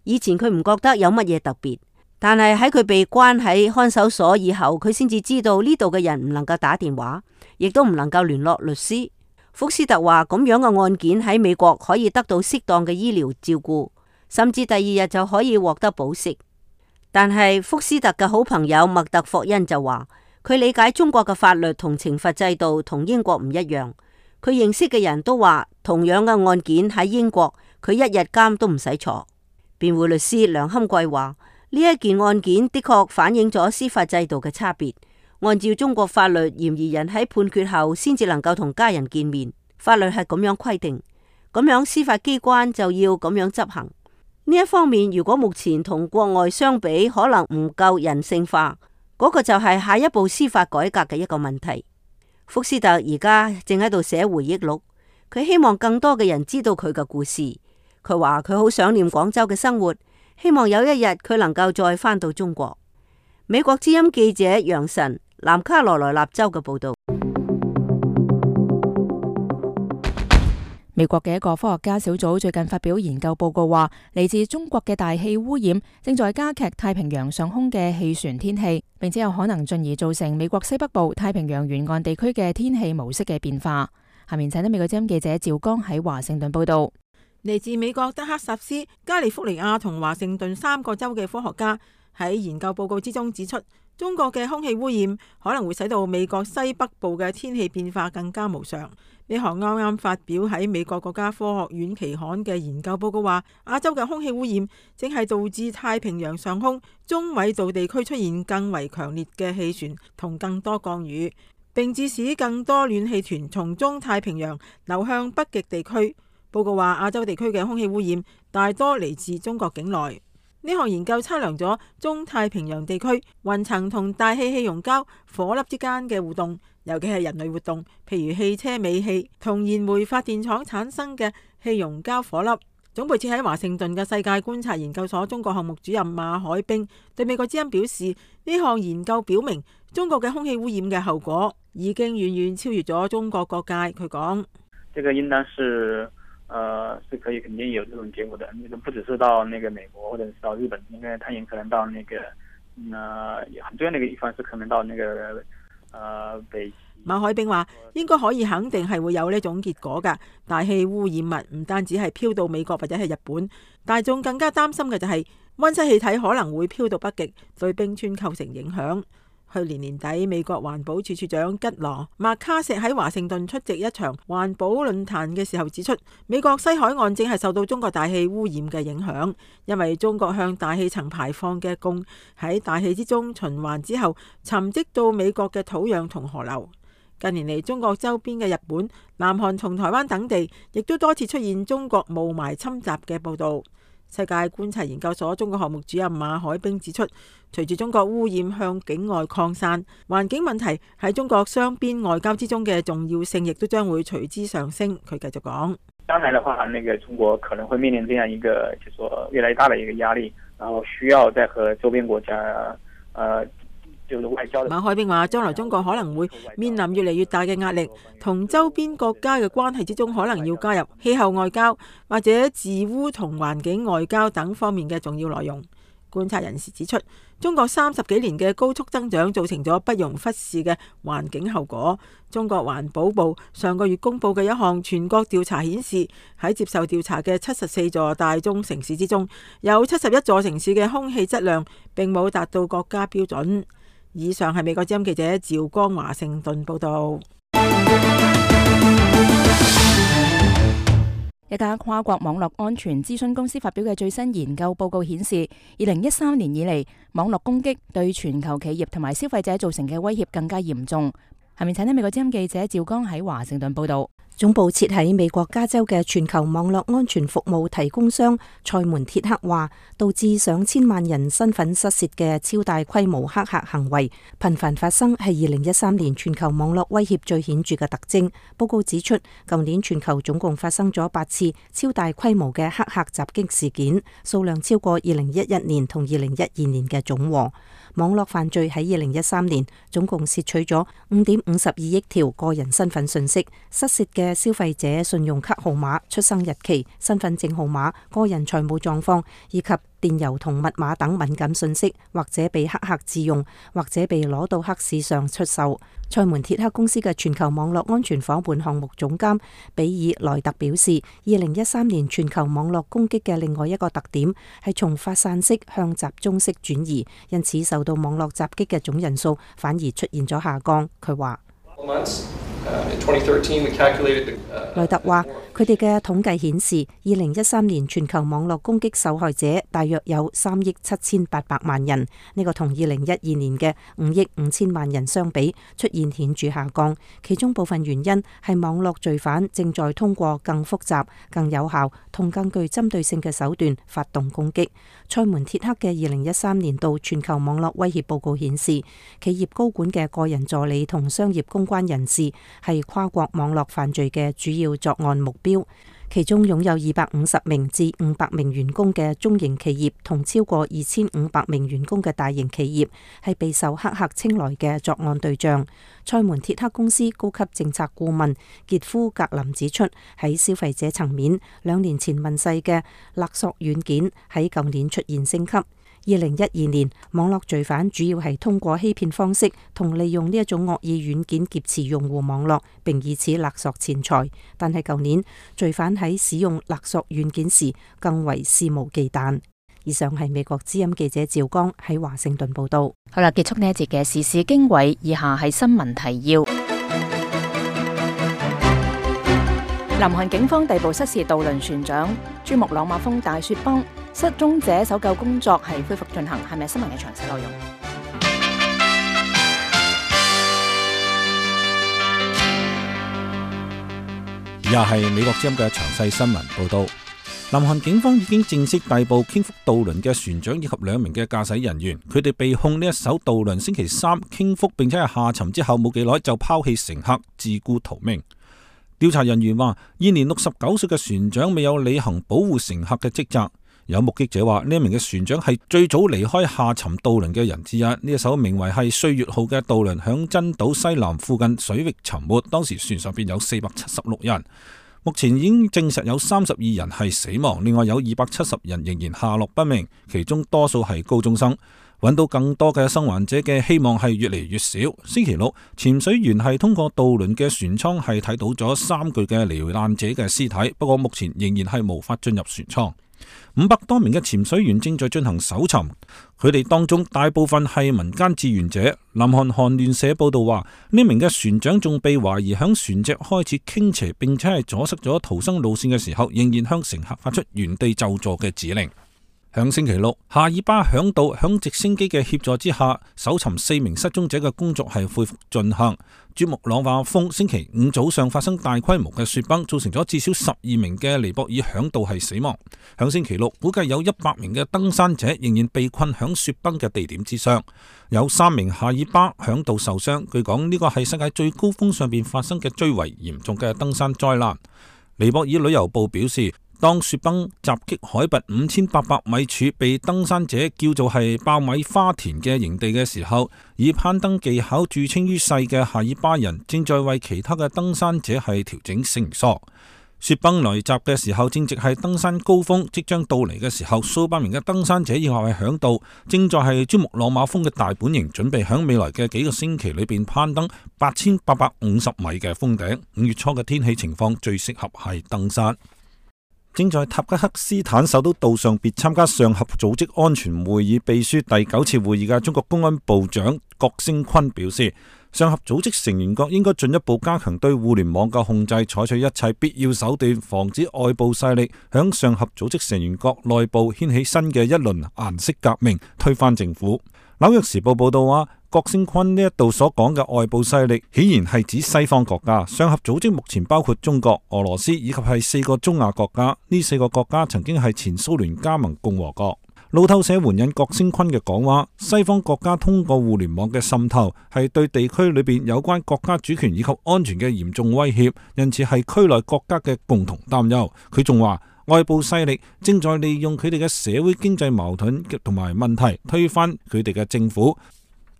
以前佢唔覺得有乜嘢特別，但係喺佢被關喺看守所以後，佢先至知道呢度嘅人唔能夠打電話，亦都唔能夠聯絡律師。福斯特話咁樣嘅案件喺美國可以得到適當嘅醫療照顧，甚至第二日就可以獲得保釋。但係福斯特嘅好朋友麥特霍恩就話，佢理解中國嘅法律同懲罰制度同英國唔一樣。佢認識嘅人都話，同樣嘅案件喺英國，佢一日監都唔使坐。辯護律師梁堪貴話，呢一件案件的確反映咗司法制度嘅差別。按照中國法律，嫌疑人喺判決後先至能夠同家人見面，法律係咁樣規定，咁樣司法機關就要咁樣執行。呢一方面，如果目前同國外相比，可能唔夠人性化，嗰個就係下一步司法改革嘅一個問題。福斯特而家正喺度寫回憶錄，佢希望更多嘅人知道佢嘅故事。佢話佢好想念廣州嘅生活，希望有一日佢能夠再返到中國。美國之音記者楊晨，南卡羅來納州嘅報道。美國嘅一個科學家小組最近發表研究報告話，嚟自中國嘅大氣污染正在加劇太平洋上空嘅氣旋天氣，並且有可能進而造成美國西北部太平洋沿岸地區嘅天氣模式嘅變化。下面請得美國之音記者趙剛喺華盛頓報道。嚟自美國德克薩斯、加利福尼亞同華盛頓三個州嘅科學家喺研究報告之中指出，中國嘅空氣污染可能會使到美國西北部嘅天氣變化更加無常。呢項啱啱發表喺美國國家科學院期刊嘅研究報告話，亞洲嘅空氣污染正係導致太平洋上空中緯度地區出現更為強烈嘅氣旋同更多降雨，並致使更多暖氣團從中太平洋流向北極地區。報告話，亞洲地區嘅空氣污染大多嚟自中國境內。呢項研究測量咗中太平洋地區雲層同大氣氣溶膠顆粒之間嘅互動，尤其係人類活動，譬如汽車尾氣同燃煤發電廠產生嘅氣溶膠顆粒。總部設喺華盛頓嘅世界觀察研究所中國項目主任馬海兵對美國之音表示，呢項研究表明中國嘅空氣污染嘅後果已經遠遠超越咗中國各界。佢講：這個應當是呃，是可以肯定有這種結果的。那個不只是到那個美國或者是到日本，應該它也可能到那個，呃，很重要的一個地方是可能到那個，呃，北。馬海兵話：應該可以肯定係會有呢種結果㗎。大氣污染物唔單止係飄到美國或者係日本，大眾更加擔心嘅就係溫室氣體可能會飄到北極，對冰川構成影響。去年年底，美國環保署署長吉羅麥卡錫喺華盛頓出席一場環保論壇嘅時候指出，美國西海岸正係受到中國大氣污染嘅影響，因為中國向大氣層排放嘅汞喺大氣之中循環之後，沉積到美國嘅土壤同河流。近年嚟，中國周邊嘅日本、南韓同台灣等地，亦都多次出現中國霧霾侵襲嘅報導。世界觀察研究所中國項目主任馬海兵指出，隨住中國污染向境外擴散，環境問題喺中國雙邊外交之中嘅重要性亦都將會隨之上升。佢繼續講：將來的話，那個中國可能會面臨這樣一個，就說越來越大的一個壓力，然後需要再和周邊國家，呃。馬海兵話：將來中國可能會面臨越嚟越大嘅壓力，同周邊國家嘅關係之中，可能要加入氣候外交或者治污同環境外交等方面嘅重要內容。觀察人士指出，中國三十幾年嘅高速增長造成咗不容忽視嘅環境後果。中國環保部上個月公布嘅一項全國調查顯示，喺接受調查嘅七十四座大中城市之中，有七十一座城市嘅空氣質量並冇達到國家標準。以上係美國之音記者趙光華盛頓報道。一家跨國網絡安全諮詢公司發表嘅最新研究報告顯示，二零一三年以嚟，網絡攻擊對全球企業同埋消費者造成嘅威脅更加嚴重。下面請聽美國之音記者趙剛喺華盛頓報道。總部設喺美國加州嘅全球網絡安全服務提供商賽門鐵克話，導致上千萬人身份失竊嘅超大規模黑客行為頻繁發生，係二零一三年全球網絡威脅最顯著嘅特徵。報告指出，舊年全球總共發生咗八次超大規模嘅黑客襲擊事件，數量超過二零一一年同二零一二年嘅總和。網絡犯罪喺二零一三年總共竊取咗五點五十二億條個人身份信息，失竊嘅嘅消費者信用卡號碼、出生日期、身份證號碼、個人財務狀況以及電郵同密碼等敏感信息，或者被黑客自用，或者被攞到黑市上出售。塞門鐵克公司嘅全球網絡安全夥伴項目總監比爾萊特表示，二零一三年全球網絡攻擊嘅另外一個特點係從發散式向集中式轉移，因此受到網絡襲擊嘅總人數反而出現咗下降。佢話萊特話：佢哋嘅統計顯示，二零一三年全球網絡攻擊受害者大約有三億七千八百萬人，呢個同二零一二年嘅五億五千萬人相比，出現顯著下降。其中部分原因係網絡罪犯正在通過更複雜、更有效同更具針對性嘅手段發動攻擊。塞門鐵克嘅二零一三年度全球網絡威脅報告顯示，企業高管嘅個人助理同商業公關人士係跨國網絡犯罪嘅主要作案目標，其中擁有二百五十名至五百名員工嘅中型企業同超過二千五百名員工嘅大型企業係備受黑客青睞嘅作案對象。塞門鐵克公司高級政策顧問傑夫格林指出，喺消費者層面，兩年前問世嘅勒索軟件喺舊年出現升級。二零一二年，網絡罪犯主要係通過欺騙方式同利用呢一種惡意軟件劫持用戶網絡，並以此勒索錢財。但係舊年，罪犯喺使用勒索軟件時更為肆無忌憚。以上係美國之音記者趙剛喺華盛頓報道。好啦，結束呢一節嘅時事經緯，以下係新聞提要。南韓警方逮捕失事渡輪船長珠穆朗瑪峰大雪崩，失蹤者搜救工作係恢復進行。係咪新聞嘅詳細內容？以下係美國之音嘅詳細新聞報道。南韓警方已經正式逮捕傾覆渡輪嘅船長以及兩名嘅駕駛人員，佢哋被控呢一艘渡輪星期三傾覆並且係下沉之後冇幾耐就拋棄乘客自顧逃命。調查人員話，現年六十九歲嘅船長未有履行保護乘客嘅職責。有目擊者話，呢一名嘅船長係最早離開下沉渡輪嘅人之一。呢一艘名為係歲月號嘅渡輪響珍島西南附近水域沉沒，當時船上邊有四百七十六人。目前已經證實有三十二人係死亡，另外有二百七十人仍然下落不明，其中多數係高中生。揾到更多嘅生還者嘅希望係越嚟越少。星期六，潛水員係通過渡輪嘅船艙係睇到咗三具嘅罹難者嘅屍體，不過目前仍然係無法進入船艙。五百多名嘅潛水員正在進行搜尋，佢哋當中大部分係民間志願者。南韓韓聯社報道話，呢名嘅船長仲被懷疑響船隻開始傾斜並且係阻塞咗逃生路線嘅時候，仍然向乘客發出原地就座嘅指令。響星期六，夏爾巴響島響直升機嘅協助之下，搜尋四名失蹤者嘅工作係恢復進行。珠穆朗瑪峰星期五早上發生大規模嘅雪崩，造成咗至少十二名嘅尼泊爾響島係死亡。響星期六，估計有一百名嘅登山者仍然被困響雪崩嘅地點之上，有三名夏爾巴響島受傷。據講呢個係世界最高峰上邊發生嘅最為嚴重嘅登山災難。尼泊爾旅遊部表示，當雪崩襲擊海拔五千八百米處被登山者叫做係爆米花田嘅營地嘅時候，以攀登技巧著稱於世嘅夏爾巴人正在為其他嘅登山者係調整繩索。雪崩來襲嘅時候正值係登山高峰，即將到嚟嘅時候，數百名嘅登山者以後係響度，正在係珠穆朗瑪峰嘅大本營，準備響未來嘅幾個星期裏邊攀登八千八百五十米嘅峰頂。五月初嘅天氣情況最適合係登山。正在塔吉克斯坦首都杜尚別參加上合組織安全會議秘書第九次會議嘅中國公安部長郭聲琨表示，上合組織成員國應該進一步加強對互聯網嘅控制，採取一切必要手段，防止外部勢力響上合組織成員國內部掀起新嘅一輪顏色革命，推翻政府。紐約時報報道話，郭聲琨呢一度所講嘅外部勢力，顯然係指西方國家。上合組織目前包括中國、俄羅斯以及係四個中亞國家，呢四個國家曾經係前蘇聯加盟共和國。路透社援引郭聲琨嘅講話，西方國家通過互聯網嘅滲透，係對地區裏邊有關國家主權以及安全嘅嚴重威脅，因此係區內國家嘅共同擔憂。佢仲話，外部勢力正在利用佢哋嘅社會經濟矛盾同埋問題，推翻佢哋嘅政府。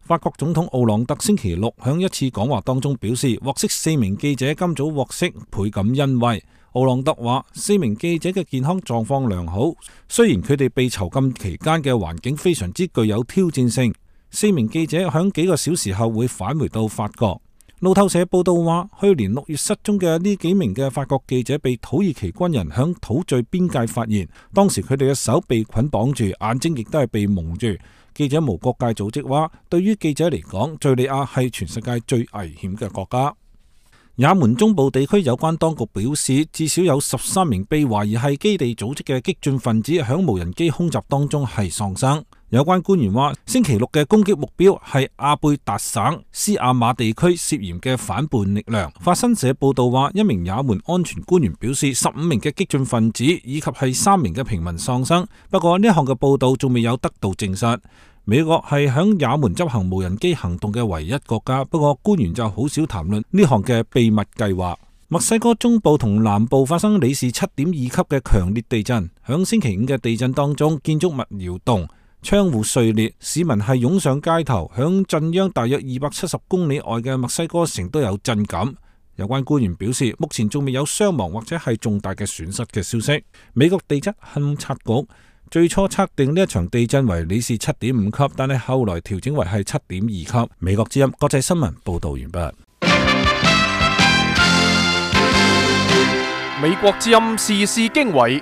法國總統奧朗德星期六響一次講話當中表示，獲釋四名記者今早獲釋，倍感欣慰。奧朗德話，四名記者嘅健康狀況良好，雖然佢哋被囚禁期間嘅環境非常之具有挑戰性。四名記者響幾個小時後會返回到法國。路透社報道話，去年六月失蹤嘅呢幾名嘅法國記者被土耳其軍人響土敘邊界發現，當時佢哋嘅手被捆綁住，眼睛亦都係被蒙住。記者無國界組織話，對於記者嚟講，敘利亞係全世界最危險嘅國家。也門中部地區有關當局表示，至少有十三名被懷疑係基地組織嘅激進分子響無人機空襲當中係喪生。有關官員話，星期六嘅攻擊目標係阿貝達省斯亞馬地區涉嫌嘅反叛力量。法新社報道話，一名也門安全官員表示，十五名嘅激進分子以及係三名嘅平民喪生。不過呢項嘅報道仲未有得到證實。美國係響也門執行無人機行動嘅唯一國家，不過官員就好少談論呢項嘅秘密計劃。墨西哥中部同南部發生里氏七點二級嘅強烈地震，響星期五嘅地震當中，建築物搖動，窗戶碎裂，市民係湧上街頭，響震央大約二百七十公里外嘅墨西哥城都有震感。有關官員表示，目前仲未有傷亡或者係重大嘅損失嘅消息。美國地質勘測局最初測定呢一場地震為里氏七點五級，但係後來調整為係七點二級。美國之音國際新聞報道完畢。美國之音時事經緯。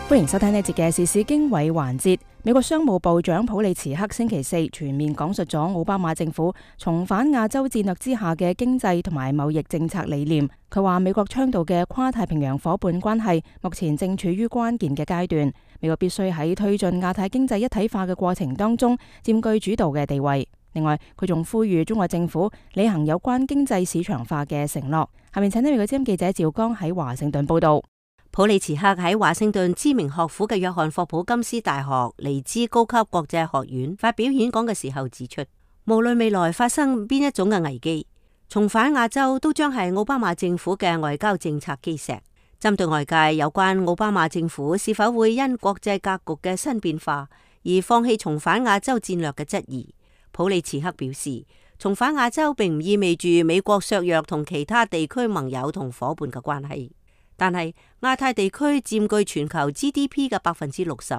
歡迎收聽呢節嘅時事經緯環節。美國商務部長普利茨克星期四全面講述咗奧巴馬政府重返亞洲戰略之下嘅經濟同埋貿易政策理念。佢話美國倡導嘅跨太平洋夥伴關係目前正處於關鍵嘅階段，美國必須喺推進亞太經濟一體化嘅過程當中佔據主導嘅地位。另外，佢仲呼籲中國政府履行有關經濟市場化嘅承諾。下面請呢美國之音記者趙剛喺華盛頓報道。普利茨克喺華盛頓知名學府嘅約翰霍普金斯大學尼茲高級國際學院發表演講嘅時候指出，無論未來發生邊一種嘅危機，重返亞洲都將係奧巴馬政府嘅外交政策基石。針對外界有關奧巴馬政府是否會因國際格局嘅新變化而放棄重返亞洲戰略嘅質疑，普利茨克表示，重返亞洲並唔意味住美國削弱同其他地區盟友同夥伴嘅關係。但係亞太地區佔據全球 G D P 嘅百分之六十，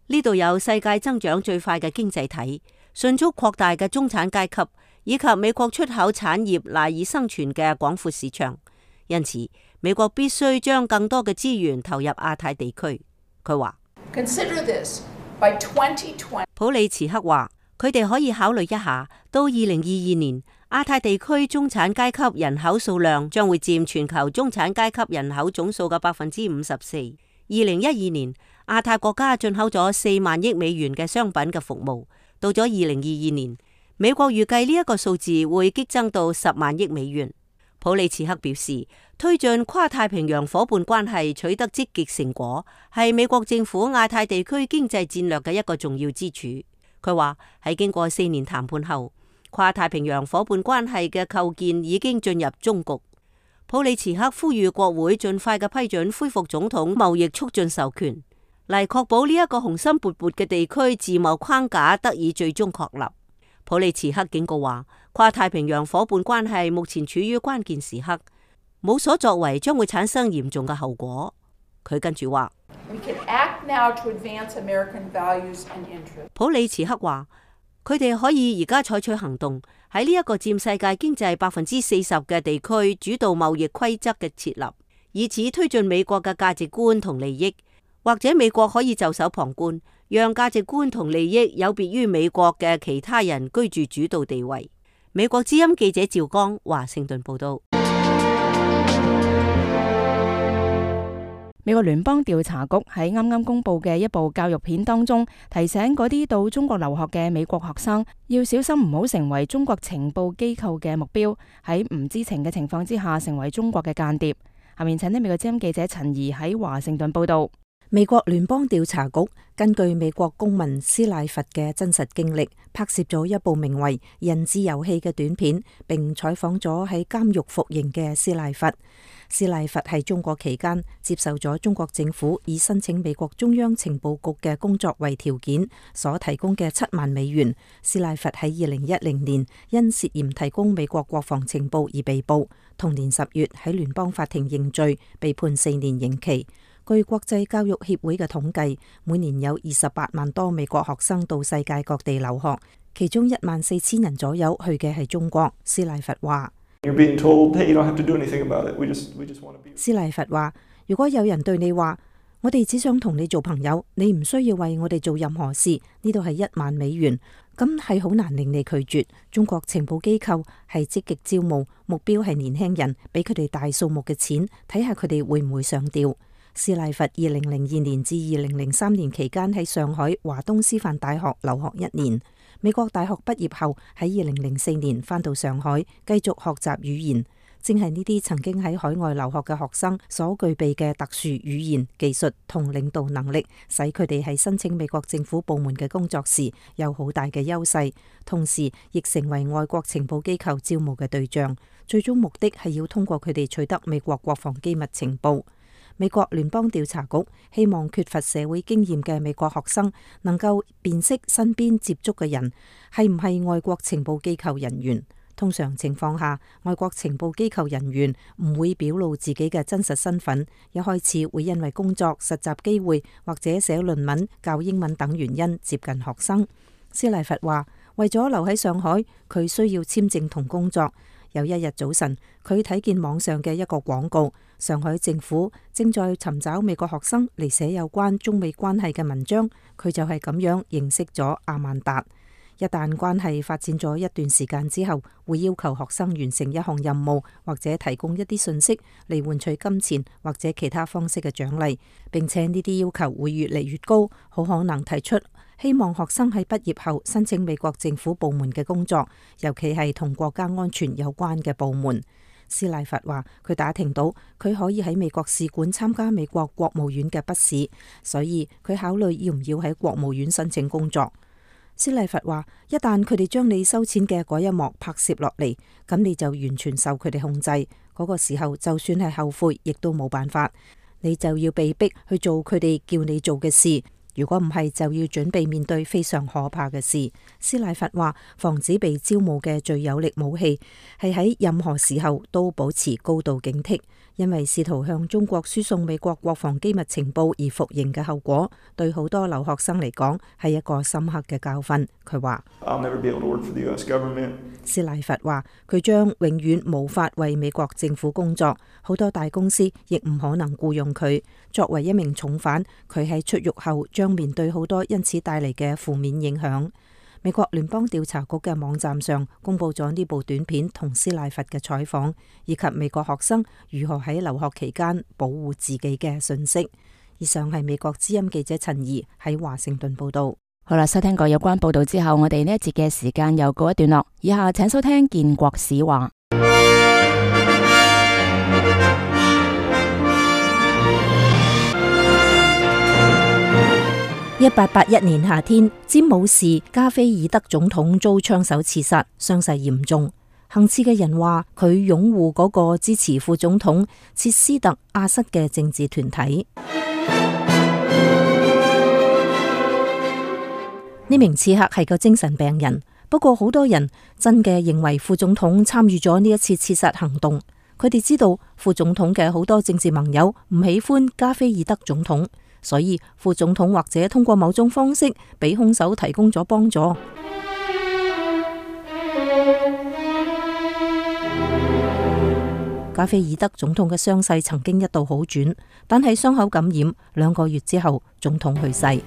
呢度有世界增長最快嘅經濟體、迅速擴大嘅中產階級，以及美國出口產業賴以生存嘅廣闊市場。因此，美國必須將更多嘅資源投入亞太地區。佢話，普利茨克話，佢哋可以考慮一下，到二零二二年，亞太地區中產階級人口數量將會佔全球中產階級人口總數嘅百分之五十四。二零一二年，亞太國家進口咗四萬億美元嘅商品嘅服務，到咗二零二二年，美國預計呢一個數字會激增到十萬億美元。普利茨克表示，推進跨太平洋夥伴關係取得積極成果，係美國政府亞太地區經濟戰略嘅一個重要支柱。佢話喺經過四年談判後，跨太平洋夥伴關係嘅構建已經進入終局。普利茨克呼籲國會盡快嘅批准恢復總統貿易促進授權，嚟確保呢一個雄心勃勃嘅地區自貿框架得以最終確立。普利茨克警告話，跨太平洋夥伴關係目前處於關鍵時刻，冇所作為將會產生嚴重嘅後果。佢跟住話，普利茨克話，佢哋可以而家採取行動，喺呢一個佔世界經濟百分之四十嘅地區主導貿易規則嘅設立，以此推進美國嘅價值觀同利益。或者美國可以袖手旁觀，讓價值觀同利益有別於美國嘅其他人居住主導地位。美國之音記者趙剛華盛頓報道。美國聯邦調查局喺啱啱公布嘅一部教育片當中，提醒嗰啲到中國留學嘅美國學生要小心唔好成為中國情報機構嘅目標，喺唔知情嘅情況之下成為中國嘅間諜。下面請聽美國之音記者陳怡喺華盛頓報道。美國聯邦調查局根據美國公民斯賴佛嘅真實經歷，拍攝咗一部名為《人質遊戲》嘅短片，並採訪咗喺監獄服刑嘅斯賴佛。斯賴佛喺中國期間接受咗中國政府以申請美國中央情報局嘅工作為條件所提供嘅七萬美元。斯賴佛喺二零一零年因涉嫌提供美國國防情報而被捕，同年十月喺聯邦法庭認罪，被判四年刑期。據國際教育協會嘅統計，每年有二十八萬多美國學生到世界各地留學，其中一萬四千人左右去嘅係中國。斯賴佛話。斯賴佛話：如果有人對你話，我哋只想同你做朋友，你唔需要為我哋做任何事，呢度係一萬美元，咁係好難令你拒絕。中國情報機構係積極招募，目標係年輕人，俾佢哋大數目嘅錢，睇下佢哋會唔會上釣。斯賴佛二零零二年至二零零三年期間喺上海華東師範大學留學一年。美國大學畢業後喺二零零四年返到上海繼續學習語言，正係呢啲曾經喺海外留學嘅學生所具備嘅特殊語言技術同領導能力，使佢哋喺申請美國政府部門嘅工作時有好大嘅優勢，同時亦成為外國情報機構招募嘅對象。最終目的係要通過佢哋取得美國國防機密情報。美國聯邦調查局希望缺乏社會經驗嘅美國學生能夠辨識身邊接觸嘅人係唔係外國情報機構人員。通常情況下，外國情報機構人員唔會表露自己嘅真實身份，一開始會因為工作、實習機會或者寫論文、教英文等原因接近學生。斯賴佛話：為咗留喺上海，佢需要簽證同工作。有一日早晨，佢睇見網上嘅一個廣告，上海政府正在尋找美國學生嚟寫有關中美關係嘅文章。佢就係咁樣認識咗阿曼達。一旦關係發展咗一段時間之後，會要求學生完成一項任務，或者提供一啲信息嚟換取金錢或者其他方式嘅獎勵，並且呢啲要求會越嚟越高，好可能提出希望學生喺畢業後申請美國政府部門嘅工作，尤其係同國家安全有關嘅部門。斯賴佛話：佢打聽到佢可以喺美國使館參加美國國務院嘅筆試，所以佢考慮要唔要喺國務院申請工作。斯賴佛話：一旦佢哋將你收錢嘅嗰一幕拍攝落嚟，咁你就完全受佢哋控制。嗰個時候，就算係後悔，亦都冇辦法，你就要被逼去做佢哋叫你做嘅事。如果唔係，就要準備面對非常可怕嘅事。斯賴佛話：防止被招募嘅最有力武器係喺任何時候都保持高度警惕，因為試圖向中國輸送美國國防機密情報而服刑嘅後果，對好多留學生嚟講係一個深刻嘅教訓。佢話：斯賴佛話佢將永遠無法為美國政府工作，好多大公司亦唔可能僱用佢。作為一名重犯，佢喺出獄後將面對好多因此帶嚟嘅負面影響。美國聯邦調查局嘅網站上公布咗呢部短片同斯賴佛嘅採訪，以及美國學生如何喺留學期間保護自己嘅信息。以上係美國之音記者陳怡喺華盛頓報道。好啦，收聽過有關報道之後，我哋呢一節嘅時間又告一段落。以下請收聽建國史話。一八八一年夏天，詹姆士加菲爾德總統遭槍手刺殺，傷勢嚴重。行刺嘅人話佢擁護嗰個支持副總統切斯特阿瑟嘅政治團體。呢名刺客係個精神病人，不過好多人真嘅認為副總統參與咗呢一次刺殺行動。佢哋知道副總統嘅好多政治盟友唔喜歡加菲爾德總統，所以副總統或者通過某種方式俾兇手提供咗幫助。加菲爾德總統嘅傷勢曾經一度好轉，但係傷口感染，兩個月之後總統去世。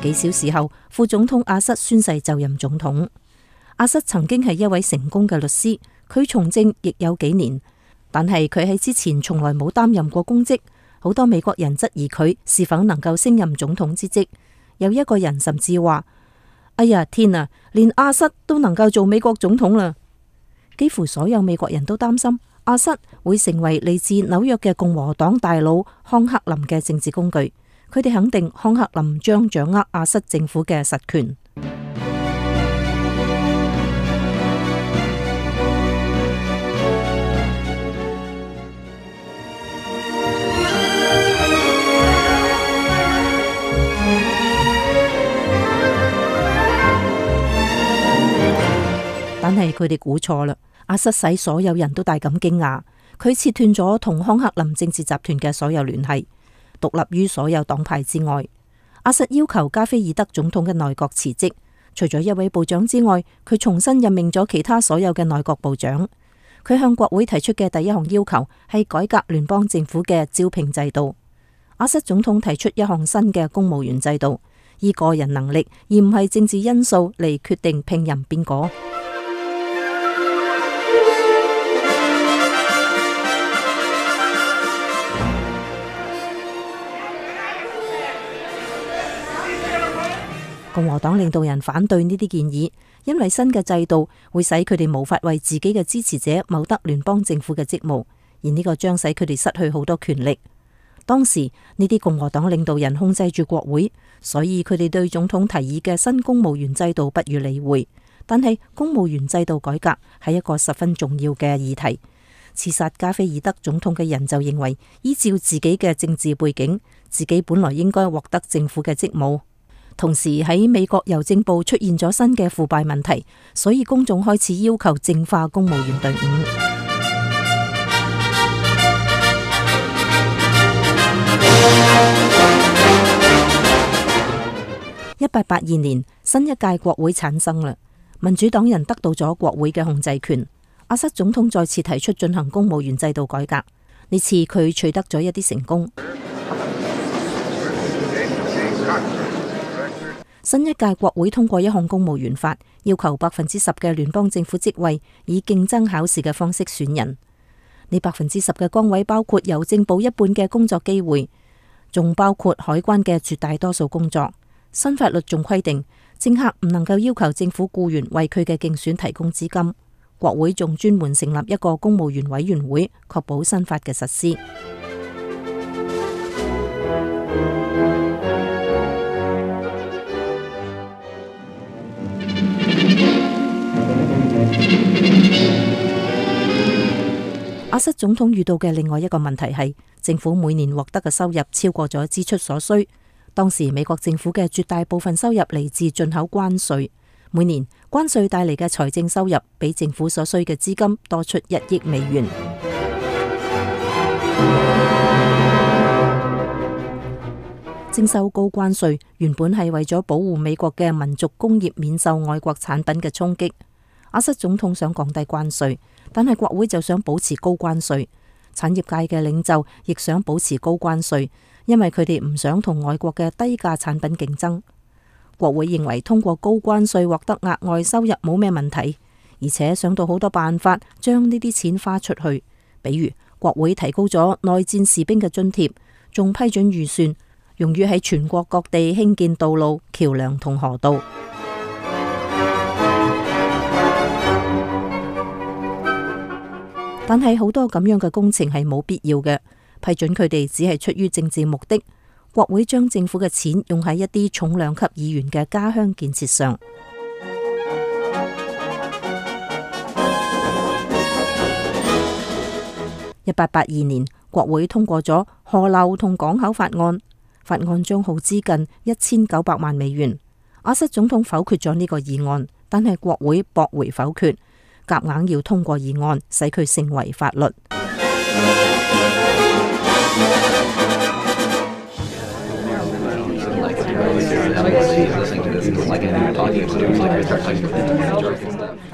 幾小時後，副總統阿瑟宣誓就任總統。阿瑟曾經係一位成功嘅律師，佢從政亦有幾年，但係佢喺之前從來冇擔任過公職。好多美國人質疑佢是否能夠升任總統之職。有一個人甚至話：哎呀天啊，連阿瑟都能夠做美國總統啦！幾乎所有美國人都擔心阿瑟會成為嚟自紐約嘅共和黨大佬康克林嘅政治工具。佢哋肯定康克林將掌握阿瑟政府嘅實權。佢哋估錯啦。阿瑟使所有人都大感驚訝，佢切斷咗同康克林政治集團嘅所有聯繫，獨立於所有黨派之外。阿瑟要求加菲爾德總統嘅內閣辭職，除咗一位部長之外，佢重新任命咗其他所有嘅內閣部長。佢向國會提出嘅第一項要求係改革聯邦政府嘅招聘制度。阿瑟總統提出一項新嘅公務員制度，以個人能力而唔係政治因素嚟決定聘任邊個。共和黨領導人反對呢啲建議，因為新嘅制度會使佢哋無法為自己嘅支持者謀得聯邦政府嘅職務，而呢個將使佢哋失去好多權力。當時呢啲共和黨領導人控制住國會，所以佢哋對總統提議嘅新公務員制度不予理會。但係公務員制度改革係一個十分重要嘅議題。刺殺加菲爾德總統嘅人就認為，依照自己嘅政治背景，自己本來應該獲得政府嘅職務。同時喺美國郵政部出現咗新嘅腐敗問題，所以公眾開始要求淨化公務員隊伍。一八八二年，新一屆國會產生啦，民主黨人得到咗國會嘅控制權。阿瑟總統再次提出進行公務員制度改革，呢次佢取得咗一啲成功。新一屆國會通過一項公務員法，要求百分之十嘅聯邦政府職位以競爭考試嘅方式選人。呢百分之十嘅崗位包括郵政部一半嘅工作機會，仲包括海關嘅絕大多數工作。新法律仲規定，政客唔能夠要求政府僱員為佢嘅競選提供資金。國會仲專門成立一個公務員委員會，確保新法嘅實施。阿瑟總統遇到嘅另外一個問題係，政府每年獲得嘅收入超過咗支出所需。當時美國政府嘅絕大部分收入嚟自進口關稅，每年關稅帶嚟嘅財政收入比政府所需嘅資金多出一億美元。徵收高關稅原本係為咗保護美國嘅民族工業免受外國產品嘅衝擊。阿瑟總統想降低關稅，但係國會就想保持高關稅。產業界嘅領袖亦想保持高關稅，因為佢哋唔想同外國嘅低價產品競爭。國會認為通過高關稅獲得額外收入冇咩問題，而且想到好多辦法將呢啲錢花出去，比如國會提高咗內戰士兵嘅津貼，仲批准預算用於喺全國各地興建道路、橋樑同河道。但係好多咁樣嘅工程係冇必要嘅，批准佢哋只係出於政治目的。國會將政府嘅錢用喺一啲重量級議員嘅家鄉建設上。一八八二年，國會通過咗河流同港口法案，法案將耗資近一千九百萬美元。阿瑟總統否決咗呢個議案，但係國會駁回否決，夾硬要通過議案，使佢成為法律。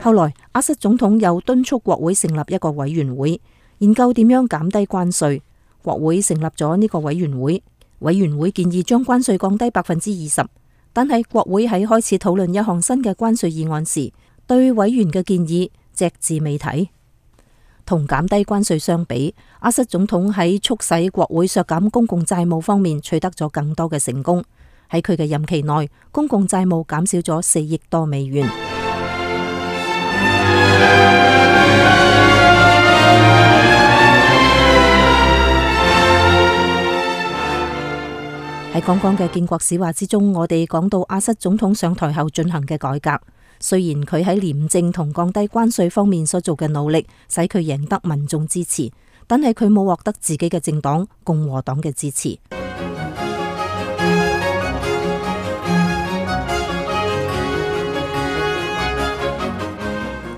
後來，阿瑟總統又敦促國會成立一個委員會，研究點樣減低關稅。國會成立咗呢個委員會，委員會建議將關稅降低百分之二十，但係國會喺開始討論一項新嘅關稅議案時，對委員嘅建議隻字未提。同減低關稅相比，阿瑟總統喺促使國會削減公共債務方面取得咗更多嘅成功。喺佢嘅任期內，公共債務減少咗四億多美元。喺剛剛嘅建國史話之中，我哋講到阿瑟總統上台後進行嘅改革。雖然佢喺廉政同降低關稅方面所做嘅努力，使佢贏得民眾支持，但係佢冇獲得自己嘅政黨共和黨嘅支持。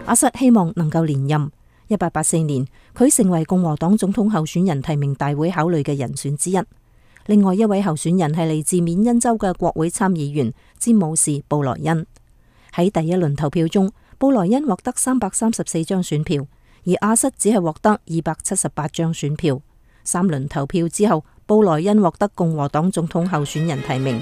阿瑟希望能夠連任。一八八四年，佢成為共和黨總統候選人提名大會考慮嘅人選之一。另外一位候選人係嚟自緬因州嘅國會參議員詹姆士布萊恩。喺第一輪投票中，布萊恩獲得三百三十四張選票，而阿瑟只係獲得二百七十八張選票。三輪投票之後，布萊恩獲得共和黨總統候選人提名。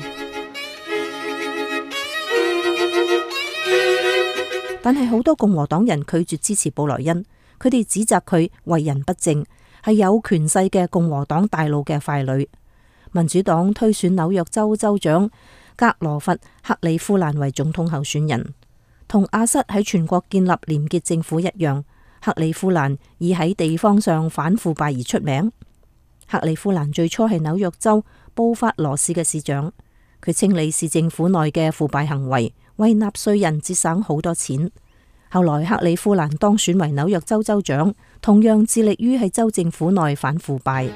但係好多共和黨人拒絕支持布萊恩，佢哋指責佢為人不正，係有權勢嘅共和黨大佬嘅傀儡。民主黨推選紐約州州長格羅弗·克里夫蘭為總統候選人，同阿瑟喺全國建立廉潔政府一樣，克里夫蘭以喺地方上反腐敗而出名。克里夫蘭最初係紐約州布法羅市嘅市長，佢清理市政府內嘅腐敗行為，為納稅人節省好多錢。後來克里夫蘭當選為紐約州州長，同樣致力於喺州政府內反腐敗。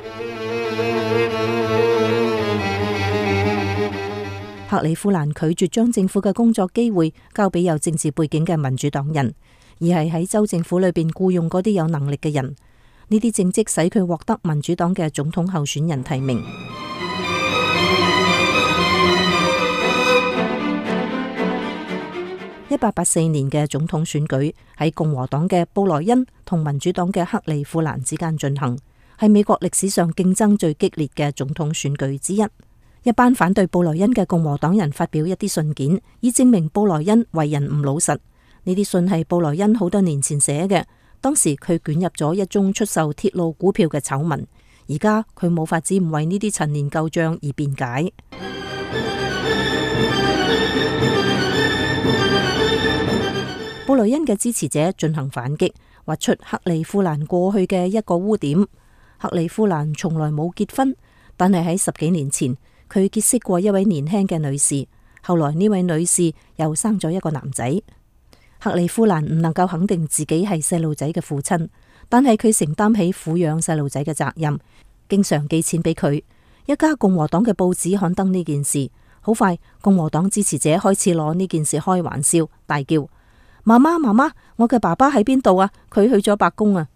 克里夫蘭拒絕將政府嘅工作機會交俾有政治背景嘅民主黨人，而係喺州政府裏邊僱用嗰啲有能力嘅人。呢啲政績使佢獲得民主黨嘅總統候選人提名。一八八四年嘅總統選舉喺共和黨嘅布萊恩同民主黨嘅克里夫蘭之間進行，係美國歷史上競爭最激烈嘅總統選舉之一。一班反對布萊恩嘅共和黨人發表一啲信件，以證明布萊恩為人唔老實。呢啲信係布萊恩好多年前寫嘅，當時佢捲入咗一宗出售鐵路股票嘅醜聞，而家佢冇法子唔為呢啲陳年舊賬而辯解。布萊恩嘅支持者進行反擊，挖出克里夫蘭過去嘅一個污點。克里夫蘭從來冇結婚，但係喺十幾年前，佢結識過一位年輕嘅女士，後來呢位女士又生咗一個男仔。克里夫蘭唔能夠肯定自己係細路仔嘅父親，但係佢承擔起撫養細路仔嘅責任，經常寄錢俾佢。一家共和黨嘅報紙刊登呢件事，好快共和黨支持者開始攞呢件事開玩笑，大叫：媽媽媽媽，我嘅爸爸喺邊度啊？佢去咗白宮啊！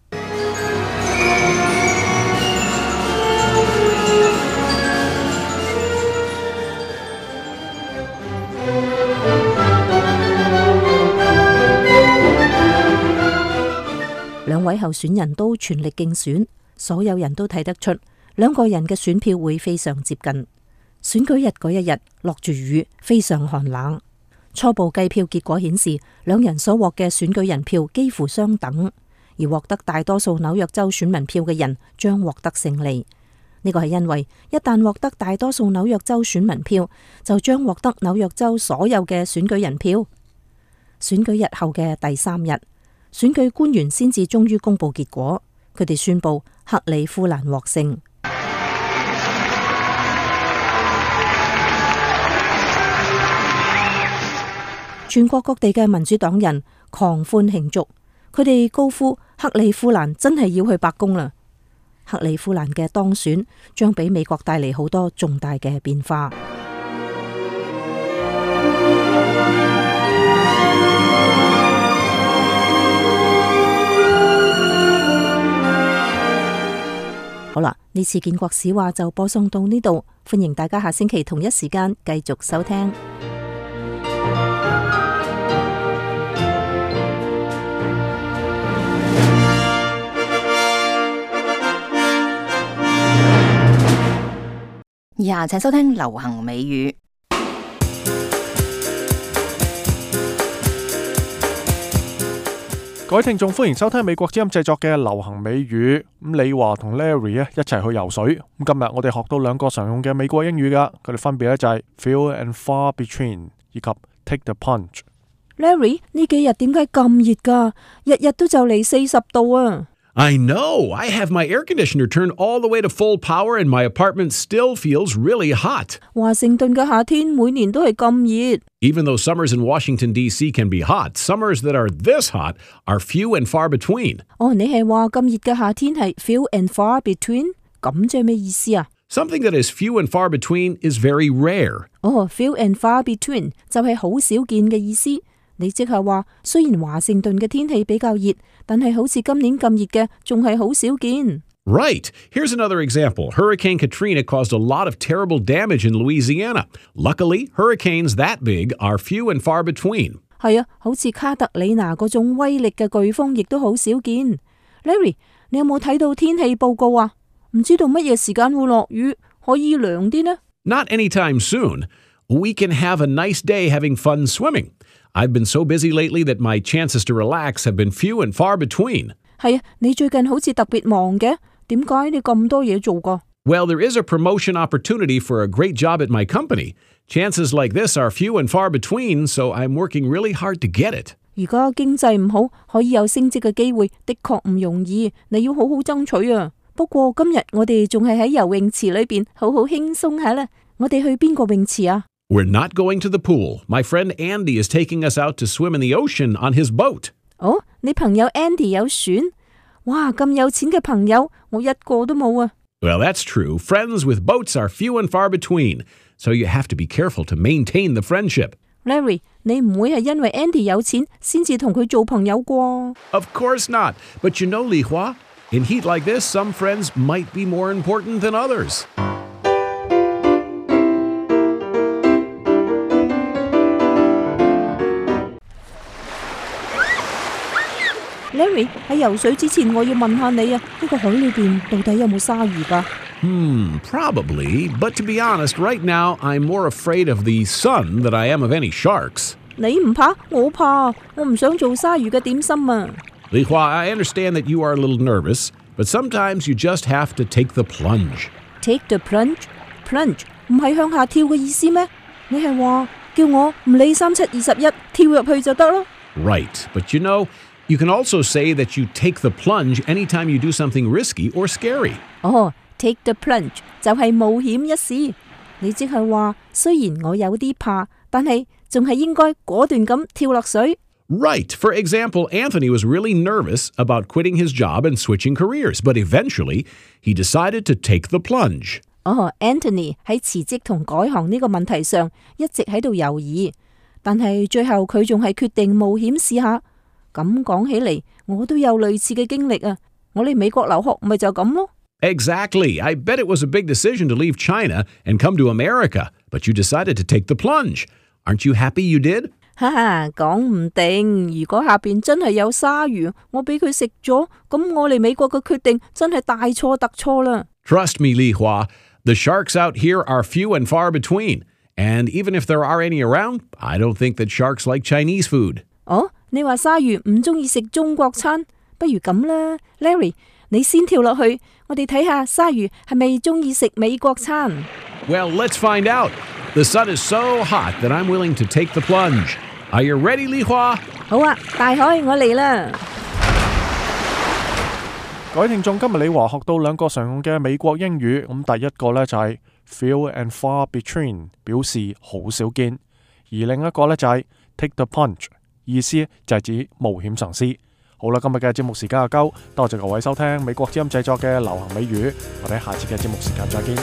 兩位候選人都全力競選，所有人都睇得出兩個人嘅選票會非常接近。選舉日嗰一日落住雨，非常寒冷。初步計票結果顯示，兩人所獲嘅選舉人票幾乎相等，而獲得大多數紐約州選民票嘅人將獲得勝利。呢個係因為一旦獲得大多數紐約州選民票，就將獲得紐約州所有嘅選舉人票。選舉日後嘅第三日，選舉官員先至終於公布結果，佢哋宣布克里夫蘭獲勝。全國各地嘅民主黨人狂歡慶祝，佢哋高呼克里夫蘭真係要去白宮啦！克里夫蘭嘅當選將俾美國帶嚟好多重大嘅變化。好啦，呢次建國史話就播送到呢度，歡迎大家下星期同一時間繼續收聽。以下請收聽流行美語。各位聽眾，歡迎收聽美國之音製作嘅流行美語。咁李華同 Larry 啊一齊去游水。咁今日我哋學到兩個常用嘅美國英語噶，佢哋分別咧就係 few and far between 以及 take the plunge。Larry 呢幾日點解咁熱噶？日日都就嚟四十度啊！ I know. I have my air conditioner turned all the way to full power and my apartment still feels really hot. 華盛頓嘅夏天每年都係咁熱。Even though summers in Washington, D C can be hot, summers that are this hot are few and far between. 哦，你係話咁熱嘅夏天係 few and far between？ 咁即係咩意思啊？ Something that is few and far between is very rare. 哦，few and far between 就係好少見嘅意思。你即係話，雖然華盛頓嘅天氣比較熱，但係好似今年咁熱嘅，仲係好少見。Right. Here's another example. Hurricane Katrina caused a lot of terrible damage in Louisiana. Luckily, hurricanes that big are few and far between. 係啊，好似卡特里娜嗰種威力嘅颶風，亦都好少見。Larry，你有冇睇到天氣報告啊？唔知道乜嘢時間會落雨，可以涼啲呢？ Not anytime soon. We can have a nice day having fun swimming. I've been so busy lately that my chances to relax have been few and far between. 係啊，你最近好似特別忙嘅，點解你咁多嘢做㗎？ Well, there is a promotion opportunity for a great job at my company. Chances like this are few and far between, so I'm working really hard to get it. 而家經濟唔好，可以有升職嘅機會，的確唔容易，你要好好爭取啊！不過今日我哋仲係喺游泳池裏邊，好好輕鬆下啦。我哋去邊個泳池啊？ We're not going to the pool. My friend Andy is taking us out to swim in the ocean on his boat. 哦，你朋友 Andy 有船？哇，咁有錢嘅朋友，我一個都冇啊！ Well, that's true. Friends with boats are few and far between, so you have to be careful to maintain the friendship. Larry，你唔會係因為 Andy 有錢先至同佢做朋友啩？ Of course not. But you know, Li Hua, in heat like this, some friends might be more important than others. Larry，喺游水之前，我要問下你啊，呢個海裏邊到底有冇鯊魚㗎？ Hmm, probably. But to be honest, right now, I'm more afraid of the sun than I am of any sharks. 你唔怕，我怕，我唔想做鯊魚嘅點心啊。 Li Hua, I understand that you are a little nervous, but sometimes you just have to take the plunge. Take the plunge? Plunge 唔係向下跳嘅意思咩？你係話叫我唔理三七二十一，跳入去就得咯？ Right, but you know, you can also say that you take the plunge anytime you do something risky or scary. 哦 ，take the plunge 就係冒險一試。你即係話，雖然我有啲怕，但係仲係應該果斷咁跳落水。 Right. For example, Anthony was really nervous about quitting his job and switching careers, but eventually he decided to take the plunge. 哦 ，Anthony 喺辭職同改行呢個問題上一直喺度猶豫，但係最後佢仲係決定冒險試下。咁講起嚟，我都有類似嘅經歷啊！我嚟美國留學咪就咁咯。 Exactly. I bet it was a big decision to leave China and come to America, but you decided to take the plunge. Aren't you happy you did? 哈哈，講唔定，如果下邊真係有鯊魚，我俾佢食咗，咁我嚟美國嘅決定真係大錯特錯啦。 Trust me, Li Hua, the sharks out here are few and far between. And even if there are any around, I don't think that sharks like Chinese food. 哦，你話鯊魚唔中意食中國餐，不如咁啦 ，Larry， 你先跳落去，我哋睇下鯊魚係咪中意食美國餐。 Well, let's find out. The sun is so hot that I'm willing to take the plunge. Are you ready, Li Hua? 好啊，大海，我嚟啦！各位聽眾，今日李華學到兩個常用嘅美國英語，咁第一個呢就係 few and far between， 表示好少見；而另一個呢就係 take the plunge， 意思就係指冒險嘗試。好啦，今日嘅節目時間就夠，多謝各位收聽美國之音製作嘅流行美語，我哋下次嘅節目時間再見。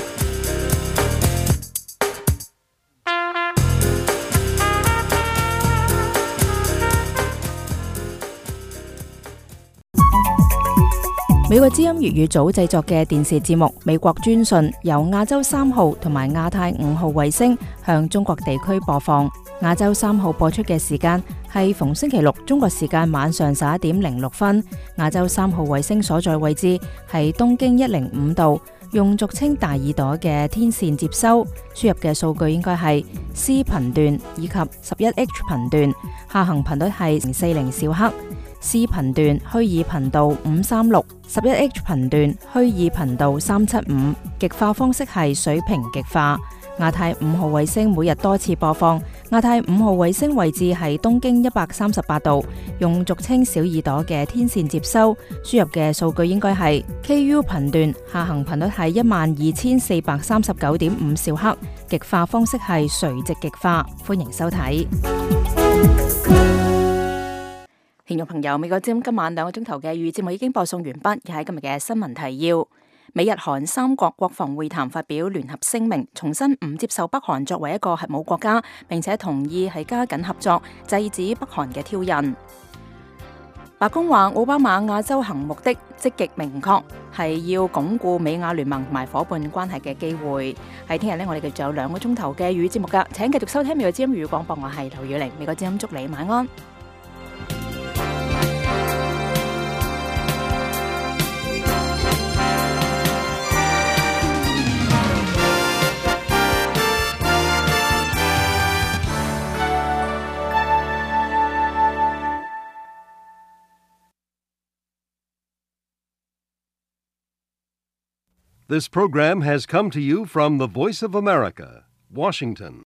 美國之音粵語組製作嘅電視節目《美國專訊》由亞洲三號同埋亞太五號衛星向中國地區播放。亞洲三號播出嘅時間係逢星期六中國時間晚上十一點零六分。亞洲三號衛星所在位置係東經一零五度，用俗稱大耳朵嘅天線接收，輸入嘅數據應該係 C 頻段以及十一 H 頻段，下行頻率係零四零兆赫。C 頻段虛擬頻道五三六，十一 H 頻段虛擬頻道三七五，極化方式係水平極化。亞太五號衛星每日多次播放，亞太五號衛星位置係東經一百三十八度，用俗稱小耳朵嘅天線接收，輸入嘅數據應該係 K U 頻段，下行頻率係一萬二千四百三十九點五兆赫，極化方式係垂直極化。歡迎收睇。聽眾朋友，美國之音今晚兩個鐘頭嘅粵語節目已經播送完畢，而喺今日嘅新聞提要：美日韓三國國防會談發表聯合聲明，重申唔接受北韓作為一個核武國家，並且同意係加緊合作，制止北韓嘅挑釁。白宮話奧巴馬亞洲行目的積極明確，係要鞏固美亞聯盟同埋伙伴關係嘅機會。喺聽日呢，我哋繼續有兩個鐘頭嘅語節目㗎，請繼續收聽美國之音粵語廣播，我係劉宇玲，美國之音祝你晚安。This program has come to you from the Voice of America, Washington.